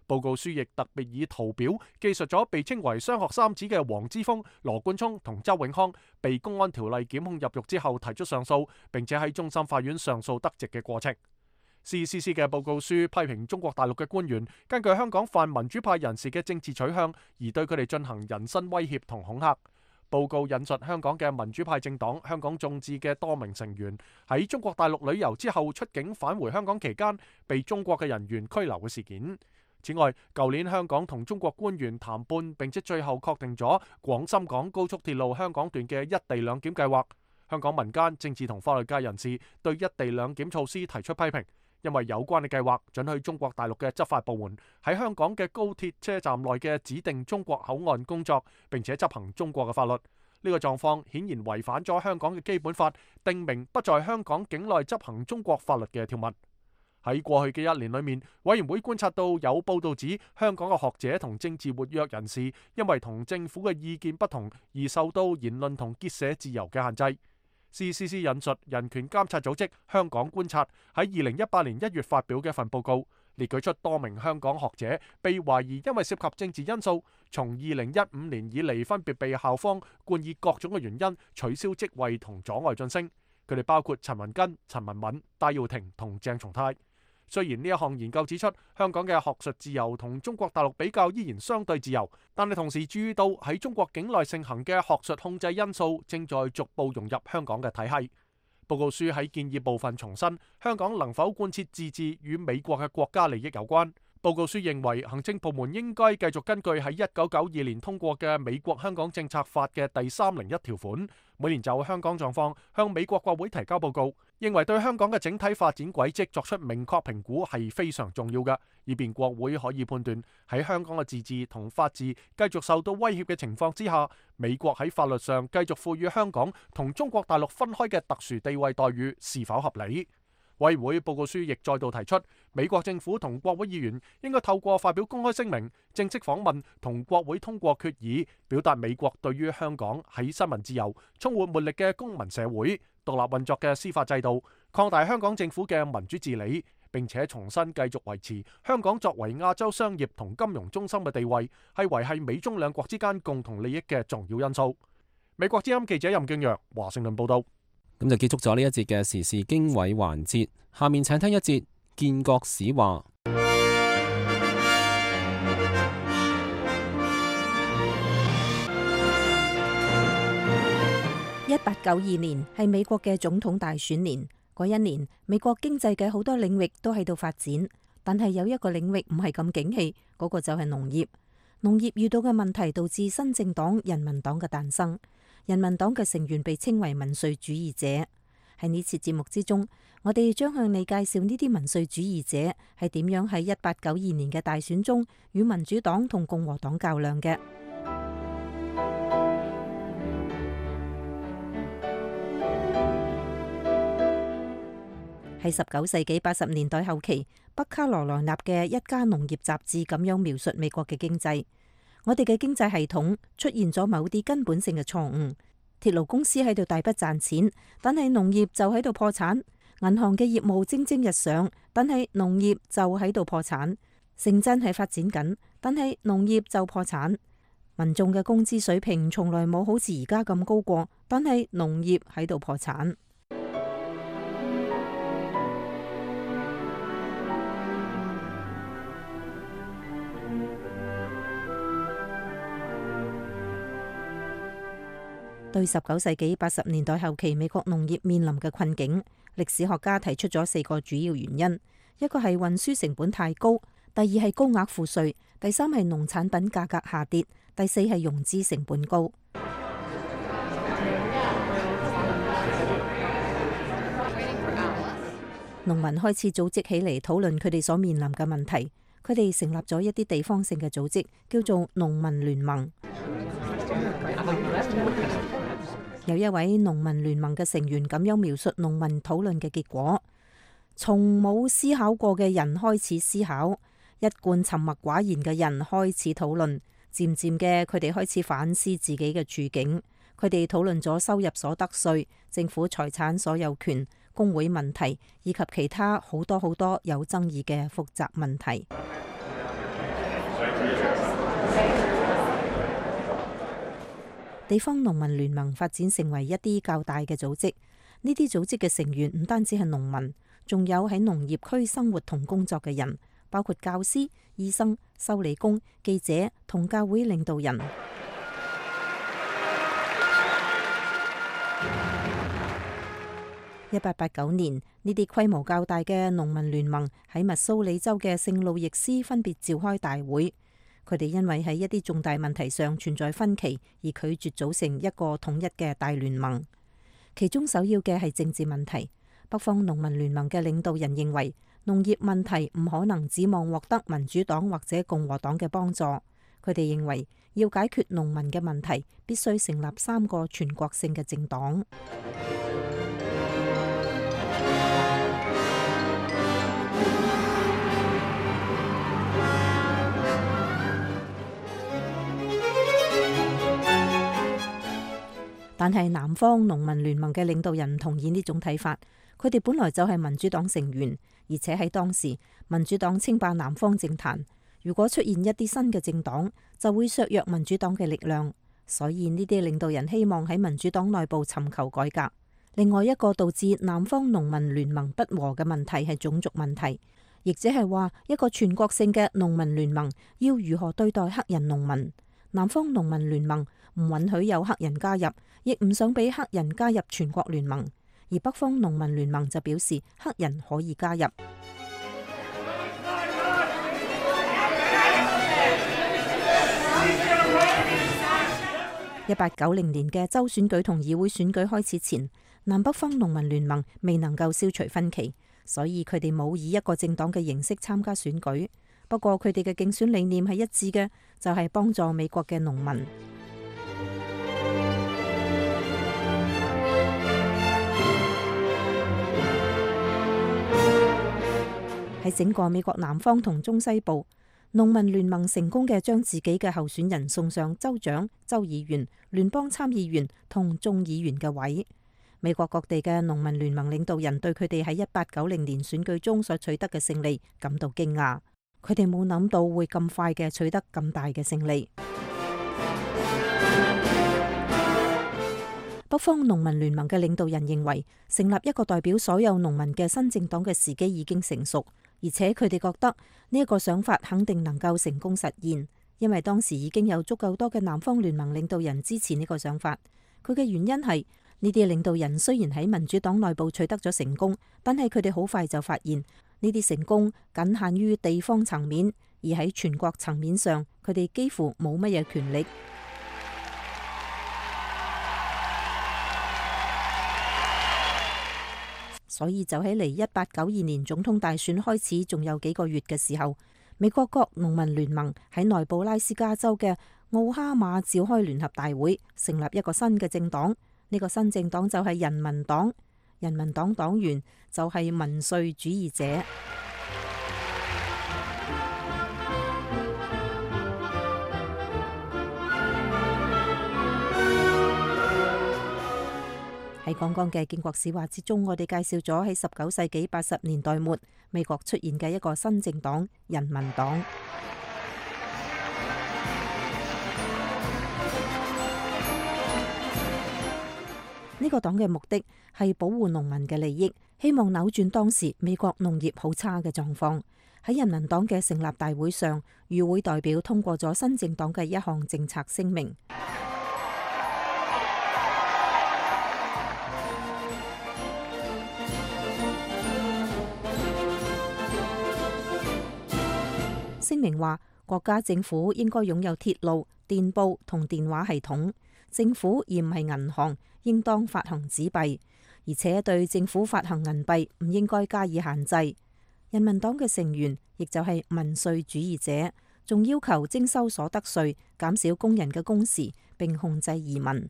報告書亦特別以圖表記述咗被稱為雙學三子嘅黃之鋒、羅冠聰同周永康被公安條例檢控入獄之後提出上訴，並且喺終審法院上訴得直嘅過程。C C C 嘅報告書批評中國大陸嘅官員根據香港泛民主派人士嘅政治取向而對佢哋進行人身威脅同恐嚇。報告引述香港嘅民主派政黨香港眾志嘅多名成員喺中國大陸旅遊之後出境返回香港期間被中國嘅人員拘留嘅事件。此外，舊年香港同中國官員談判，並且最後確定咗廣深港高速鐵路香港段嘅一地兩檢計劃。香港民間、政治同法律界人士對一地兩檢措施提出批評，因為有關嘅計劃准許中國大陸嘅執法部門喺香港嘅高鐵車站內嘅指定中國口岸工作，並且執行中國嘅法律。呢個狀況顯然違反咗香港嘅基本法，定明不在香港境內執行中國法律嘅條文。喺過去嘅一年裏面，委員會觀察到有報道指香港嘅學者同政治活躍人士因為同政府嘅意見不同而受到言論同結社自由嘅限制。C C C 引述人權監察組織香港觀察喺二零一八年一月發表嘅一份報告，列舉出多名香港學者被懷疑因為涉及政治因素，從二零一五年以嚟分別被校方冠以各種嘅原因取消職位同阻礙晉升。佢哋包括陳雲根、陳文敏、戴耀廷同鄭松泰。雖然呢一項研究指出香港嘅學術自由同中國大陸比較依然相對自由，但係同時注意到喺中國境內盛行嘅學術控制因素正在逐步融入香港嘅體系。報告書喺建議部分重申，香港能否貫徹自治與美國嘅國家利益有關。報告書認為，行政部門應該繼續根據喺一九九二年通過嘅美國香港政策法嘅第三零一條款，每年就香港狀況向美國國會提交報告，認為對香港嘅整體發展軌跡作出明確評估係非常重要嘅，以便國會可以判斷喺香港嘅自治同法治繼續受到威脅嘅情況之下，美國喺法律上繼續賦予香港同中國大陸分開嘅特殊地位待遇是否合理。委員會報告書亦再度提出，美國政府同國會議員應該透過發表公開聲明、正式訪問同國會通過決議，表達美國對於香港喺新聞自由、充滿活力嘅公民社會、獨立運作嘅司法制度、擴大香港政府嘅民主治理，並且重新繼續維持香港作為亞洲商業同金融中心嘅地位，係維繫美中兩國之間共同利益嘅重要因素。美國之音記者任敬揚華盛頓報道。咁就結束咗呢一節嘅時事經緯環節，下面請聽一節建國史話。一八九二年係美國嘅總統大選年，嗰一年美國經濟嘅好多領域都喺度發展，但係有一個領域唔係咁景氣，嗰個就係農業。農業遇到嘅問題導致新政黨人民黨嘅誕生。人民黨嘅成員被稱為民粹主義者。喺呢次節目之中，我哋將向你介紹呢啲民粹主義者係點樣喺一八九二年嘅大選中與民主黨同共和黨較量嘅。喺十九世紀八十年代後期，北卡羅來納嘅一家農業雜誌咁樣描述美國嘅經濟。我哋嘅經濟系統出現咗某啲根本性嘅錯誤，鐵路公司喺度大筆賺錢，但係農業就喺度破產；銀行嘅業務蒸蒸日上，但係農業就喺度破產；城鎮係發展緊，但係農業就破產；民眾嘅工資水平從來冇好似而家咁高過，但係農業喺度破產。對十九世紀八十年代後期美國農業面臨嘅困境，歷史學家提出咗四個主要原因：一個係運輸成本太高，第二係高額賦稅，第三係農產品價格下跌，第四係融資成本高。農民開始組織起嚟討論佢哋所面臨嘅問題，佢哋成立咗一啲地方性嘅組織，叫做農民聯盟。有一位農民聯盟嘅成員咁樣描述農民討論嘅結果：從冇思考過嘅人開始思考，一貫沉默寡言嘅人開始討論，漸漸嘅佢哋開始反思自己嘅處境。佢哋討論咗收入所得稅、政府財產所有權、工會問題以及其他好多好多有爭議嘅複雜問題。地方農民聯盟發展成為一啲較大嘅組織，呢啲組織嘅成員唔單止係農民，仲有喺農業區生活同工作嘅人，包括教師、醫生、修理工、記者同教會領導人。一八八九年，呢啲規模較大嘅農民聯盟喺密蘇里州嘅聖路易斯分別召開大會，佢哋因為喺一啲重大問題上存在分歧，而拒絕組成一個統一嘅大聯盟。其中首要嘅係政治問題。北方農民聯盟嘅領導人認為，農業問題唔可能指望獲得民主黨或者共和黨嘅幫助。佢哋認為，要解決農民嘅問題，必須成立三個全國性嘅政黨。但係南方農民聯盟嘅領導人唔同意呢種睇法。佢哋本來就係民主黨成員，而且喺當時民主黨稱霸南方政壇。如果出現一啲新嘅政黨，就會削弱民主黨嘅力量。所以呢啲領導人希望喺民主黨內部尋求改革。另外一個導致南方農民聯盟不和嘅問題係種族問題，亦即係話一個全國性嘅農民聯盟要如何對待黑人農民。南方農民聯盟唔允許有黑人加入，亦唔想俾黑人加入全國聯盟。而北方農民聯盟就表示黑人可以加入。一八九零年嘅州選舉同議會選舉開始前，南北方農民聯盟未能夠消除分歧，所以佢哋冇以一個政黨嘅形式參加選舉。不過佢哋嘅競選理念係一致嘅，就係幫助美國嘅農民。喺整個美國南方同中西部，農民聯盟成功嘅將自己嘅候選人送上州長、州議員、聯邦參議員同眾議員嘅位。美國各地嘅農民聯盟領導人對佢哋喺一八九零年選舉中所取得嘅勝利感到驚訝，佢哋冇諗到會咁快嘅取得咁大嘅勝利。北方農民聯盟嘅領導人認為，成立一個代表所有農民嘅新政黨嘅時機已經成熟。而且佢哋覺得呢一個想法肯定能夠成功實現，因為當時已經有足夠多嘅南方聯盟領導人支持呢個想法。佢嘅原因係呢啲領導人雖然喺民主黨內部取得咗成功，但係佢哋好快就發現呢啲成功僅限於地方層面，而喺全國層面上，佢哋幾乎冇乜嘢權力。所以就喺離一八九二年總統大選開始仲有幾個月嘅時候，美國各農民聯盟喺內布拉斯加州嘅奧哈馬召開聯合大會，成立一個新嘅政黨。呢個新政黨就係人民黨，人民黨黨員就係民粹主義者。喺剛剛嘅建國史話之中，我哋介紹咗喺十九世紀八十年代末美國出現嘅一個新政黨——人民黨。呢個黨嘅目的係保護農民嘅利益，希望扭轉當時美國農業好差嘅狀況。喺人民黨嘅成立大會上，與會代表通過咗新政黨嘅一項政策聲明。聲明話，國家政府應該擁有鐵路、電報同電話系統。政府而唔係銀行，應當發行紙幣，而且對政府發行銀幣唔應該加以限制。人民黨嘅成員亦就係民粹主義者，仲要求徵收所得稅，減少工人嘅工時，並控制移民。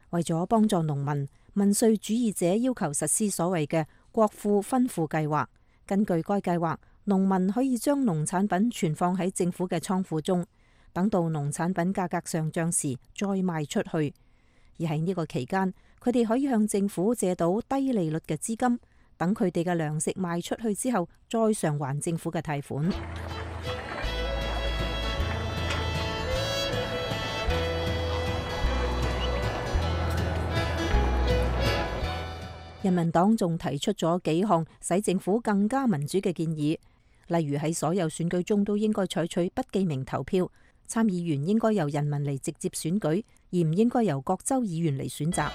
為咗幫助農民，民粹主義者要求實施所謂嘅國庫分庫計劃。根據該計劃，農民可以將農產品存放喺政府嘅倉庫中，等到農產品價格上漲時再賣出去。而喺呢個期間，佢哋可以向政府借到低利率嘅資金，等佢哋嘅糧食賣出去之後，再償還政府嘅貸款。人民黨仲提出咗幾項使政府更加民主嘅建議，例如喺所有選舉中都應該採取不記名投票，參議員應該由人民嚟直接選舉，而唔應該由各州議員嚟選擇。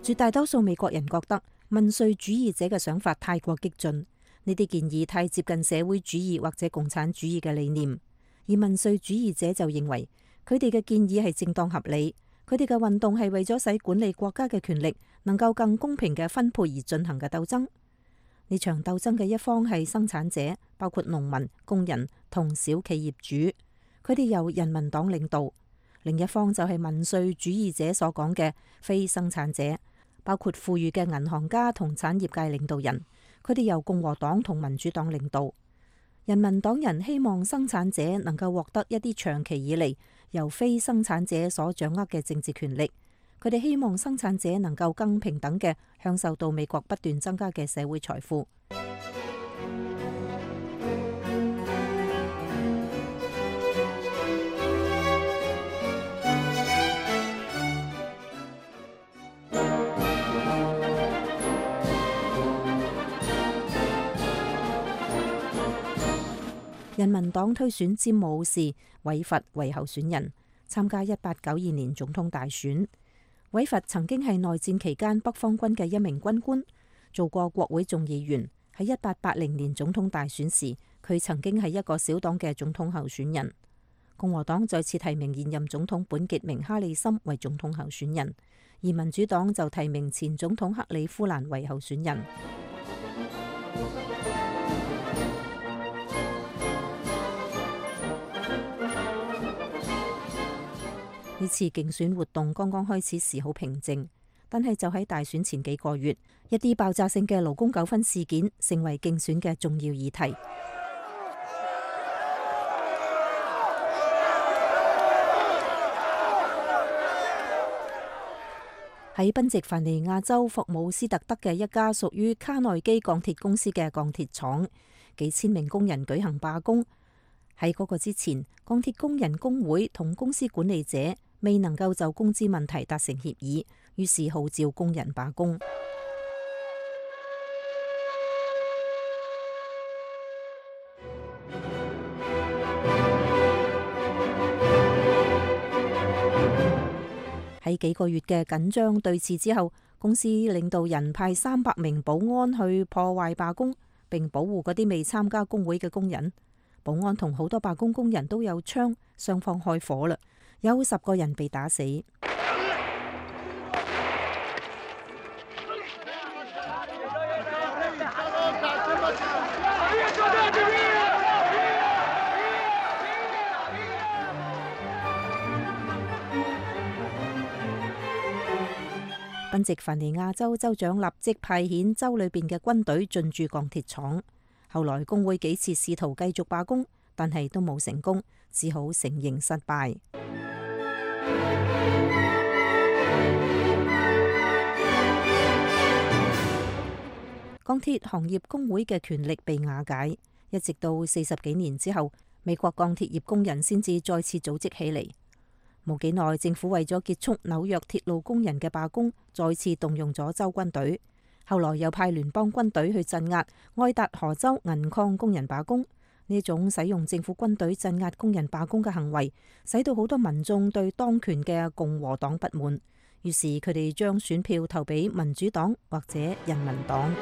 絕大多數美國人覺得民粹主義者嘅想法太過激進，呢啲建議太接近社會主義或者共產主義嘅理念，而民粹主義者就認為佢哋嘅建議係正當合理，佢哋嘅運動係為咗使管理國家嘅權力能夠更公平嘅分配而進行嘅鬥爭。呢場鬥爭嘅一方係生產者，包括農民、工人同小企業主，佢哋由人民黨領導；另一方就係民粹主義者所講嘅非生產者，包括富裕嘅銀行家同產業界領導人，佢哋由共和黨同民主黨領導。人民黨人希望生產者能夠獲得一啲長期以嚟由非生產者所掌握嘅政治權力，佢哋希望生產者能夠更平等嘅享受到美國不斷增加嘅社會財富。人民黨推選詹姆士·韋佛為候選人，參加一八九二年總統大選。韋佛曾經係內戰期間北方軍嘅一名軍官，做過國會眾議員。喺一八八零年總統大選時，佢曾經係一個小黨嘅總統候選人。共和黨再次提名現任總統本傑明·哈里森為總統候選人，而民主黨就提名前總統克里夫蘭為候選人。呢次競選活動剛剛開始時好平靜，但係就喺大選前幾個月，一啲爆炸性嘅勞工糾紛事件成為競選嘅重要議題。喺賓夕凡尼亞州霍姆斯特德嘅一家屬於卡內基鋼鐵公司嘅鋼鐵廠，幾千名工人舉行罷工。喺嗰個之前，鋼鐵工人工會同公司管理者未能夠就工資問題達成協議，於是號召工人罷工。喺幾個月嘅緊張對峙之後，公司領導人派三百名保安去破壞罷工，並保護嗰啲未參加工會嘅工人。保安同好多罷工工人都有槍，雙方開火啦，有十個人被打死。賓夕凡尼亞州州長立即派遣州裏邊嘅軍隊進駐鋼鐵廠。後來工會幾次試圖繼續罷工，但係都冇成功，只好承認失敗。鋼鐵行業工會嘅權力被瓦解，一直到四十幾年之後，美國鋼鐵業工人先至再次組織起嚟。冇幾耐，政府為咗結束紐約鐵路工人嘅罷工，再次動用咗州軍隊。後來又派聯邦軍隊去鎮壓愛達荷州銀礦工人罷工。呢種使用政府軍隊鎮壓工人罷工嘅行為，使到好多民眾對當權嘅共和黨不滿，於是佢哋將選票投俾民主黨或者人民黨。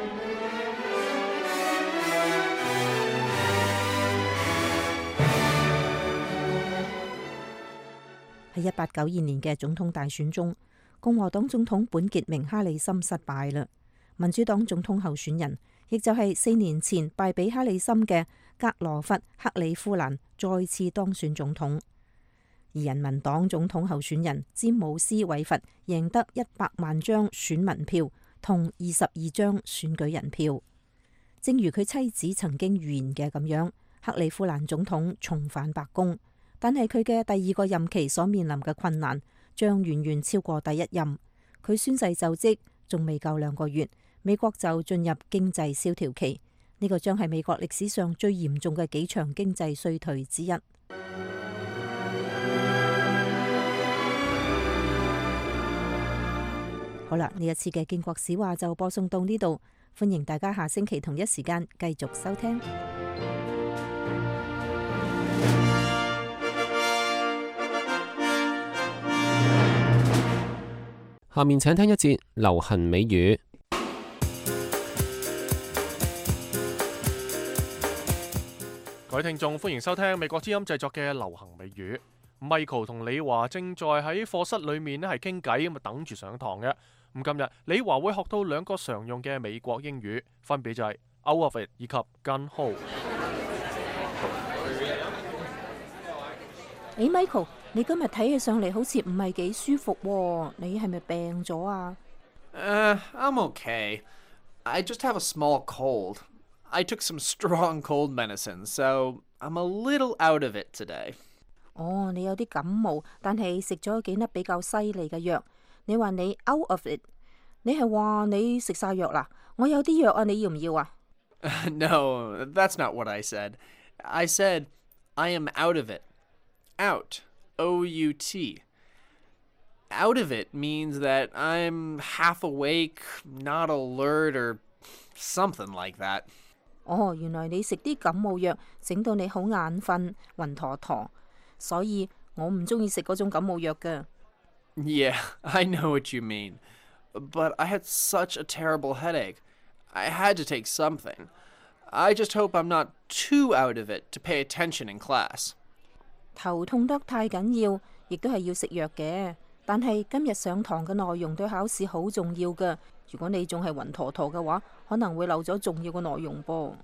喺一八九二年嘅總統大選中，共和黨總統本傑明·哈里森失敗啦。民主黨總統候選人，亦就係四年前敗俾哈里森嘅格羅弗·克里夫蘭再次當選總統，而人民黨總統候選人詹姆斯·韋佛贏得一百萬張選民票同二十二張選舉人票。正如佢妻子曾經預言嘅咁樣，克里夫蘭總統重返白宮，但係佢嘅第二個任期所面臨嘅困難將遠遠超過第一任。佢宣誓就職仲未夠兩個月，美國就進入經濟蕭條期，呢個將係美國歷史上最嚴重嘅幾場經濟衰退之一。好啦，呢一次嘅建國史話就播送到呢度，歡迎大家下星期同一時間繼續收聽。下面請聽一節流行美語。各位聽眾，歡迎收聽美國之音製作嘅流行美語。Michael 同李華正在喺課室裏面咧係傾偈，咁啊等住上堂嘅。咁今日李華會學到兩個常用嘅美國英語，分別就係 out of it 以及 gung ho。誒 Michael， 你今日睇起上嚟好似唔係幾舒服喎，你係咪病咗啊？Uh, I'm okay. I just have a small cold. I took some strong cold medicine, so I'm a little out of it today. 哦，你有啲感冒，但係食咗幾粒比較犀利嘅藥。你話你 out of it， 你係話你食晒藥啦？我有啲藥啊，你要唔要啊？No, that's not what I said. I said I am out of it. Out, O U T. Out of it means that I'm half awake, not alert, or something like that. 哦，原來你食啲感冒藥，整到你好眼瞓、暈陀陀，所以我唔中意食嗰種感冒藥㗎。Yeah, I know what you mean. But I had such a terrible headache. I had to take something. I just hope I'm not too out of it to pay attention in class. 頭痛得太緊要，亦都係要食藥嘅。但係今日上堂嘅內容對考試好重要㗎。如果你仲係暈陀陀嘅話，可能會漏咗重要嘅內容噃。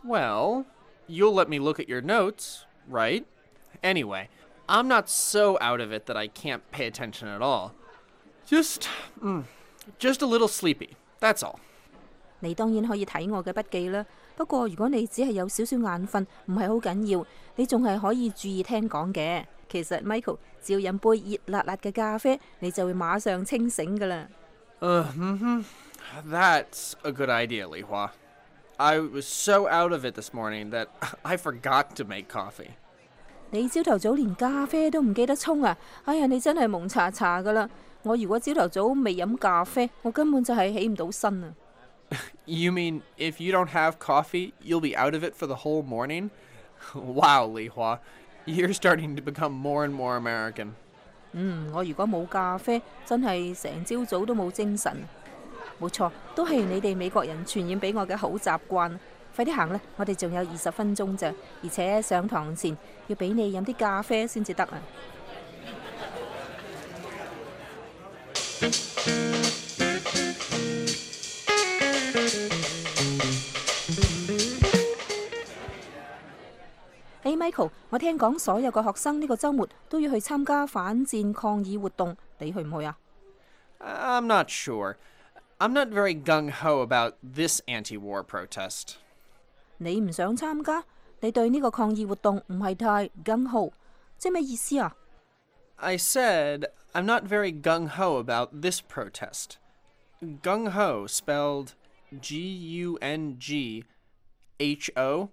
Well, you'll let me look at your notes, right? Anyway, I'm not so out of it that I can't pay attention at all. Just, mm, just a little sleepy. That's all. 你當然可以睇我嘅筆記啦。不過如果你只係有少少眼瞓，唔係好緊要，你仲係可以注意聽講嘅。其實 Michael 只要飲杯熱辣辣嘅咖啡，你就會馬上清醒㗎啦。Uh, mm-hmm. That's a good idea, Li Hua. I was so out of it this morning that I forgot to make coffee. 你朝頭早連咖啡都唔記得沖啊！哎呀，你真係蒙查查㗎啦！我如果朝頭早未飲咖啡，我根本就係起唔到身啊！ You mean if you don't have coffee, you'll be out of it for the whole morning? Wow, Li Hua, you're starting to become more and more American. 嗯，我如果冇咖啡，真係成朝早都冇精神。冇錯，都係你哋美國人傳染俾我嘅好習慣。快啲行啦，我哋仲有二十分鐘咋，而且上堂前要俾你飲啲咖啡先至得啊！誒 Michael， 我聽講所有嘅學生呢個週末都要去參加反戰抗議活動，你去唔去啊？ I'm not sure. I'm not very gung-ho about this anti-war protest. 你唔想參加？你對呢個抗議活動唔係太 gung-ho， 即係咩意思啊？ I said I'm not very gung-ho about this protest. Gung-ho spelled G U N G H O.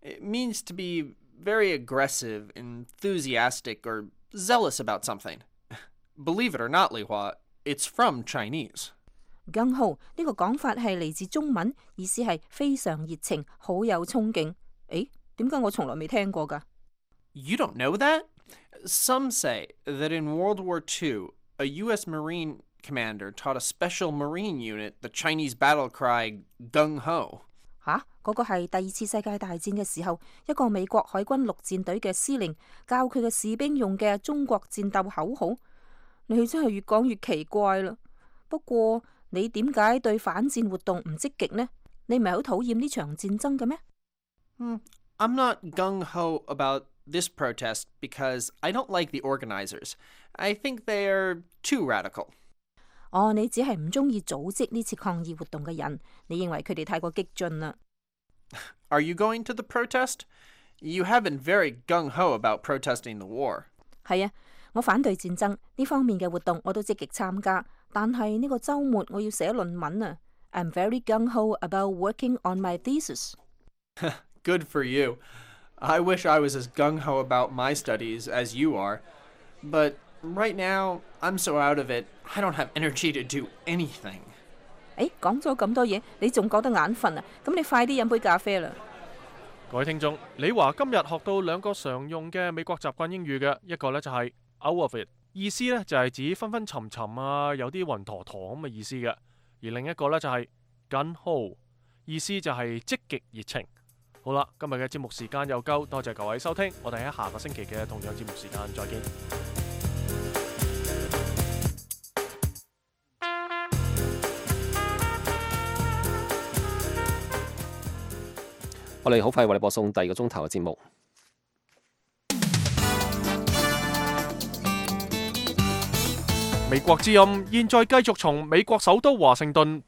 It means to be very aggressive, enthusiastic, or zealous about something. Believe it or not, Li Hua, it's from Chinese. gung ho 呢個講法係嚟自中文，意思係非常熱情，好有衝勁。誒，點解我從來未聽過㗎？ You don't know that? Some say that in World War Two, a U S Marine commander taught a special Marine unit the Chinese battle cry gung ho. 吓，嗰個係第二次世界大戰嘅時候，一個美國海軍陸戰隊嘅司令教佢嘅士兵用嘅中國戰鬥口號。你真係越講越奇怪啦。不過你點解對反戰活動唔積極呢？你唔係好討厭呢場戰爭嘅咩？ Hmm, I'm not gung-ho about this protest because I don't like the organizers. I think they are too radical. 哦，你只係唔中意組織呢次抗議活動嘅人，你認為佢哋太過激進啦。 Are you going to the protest? You have been very gung-ho about protesting the war. 係啊，我反對戰爭呢方面嘅活動我都積極參加，但係呢個週末我要寫論文啊。I'm very gung-ho about working on my thesis. Good for you. I wish I was as gung-ho about my studies as you are. But right now, I'm so out of it, I don't have energy to do anything. 誒，講咗咁多嘢，你仲覺得眼瞓啊？咁你快啲飲杯咖啡啦！各位聽眾，李華今日學到兩個常用嘅美國習慣英語嘅，一個呢就係 out of it，意思呢就係指昏昏沉沉啊，有啲暈陀陀咁嘅意思嘅。而另一個呢就係 gun ho， 意思就係積極熱情。好啦，今日嘅節目時間又夠，多謝各位收聽，我哋喺下個星期嘅同樣節目時間再見。我哋好快為你播送第二個鐘頭嘅節目。美國之音現在繼續從美國首都華盛頓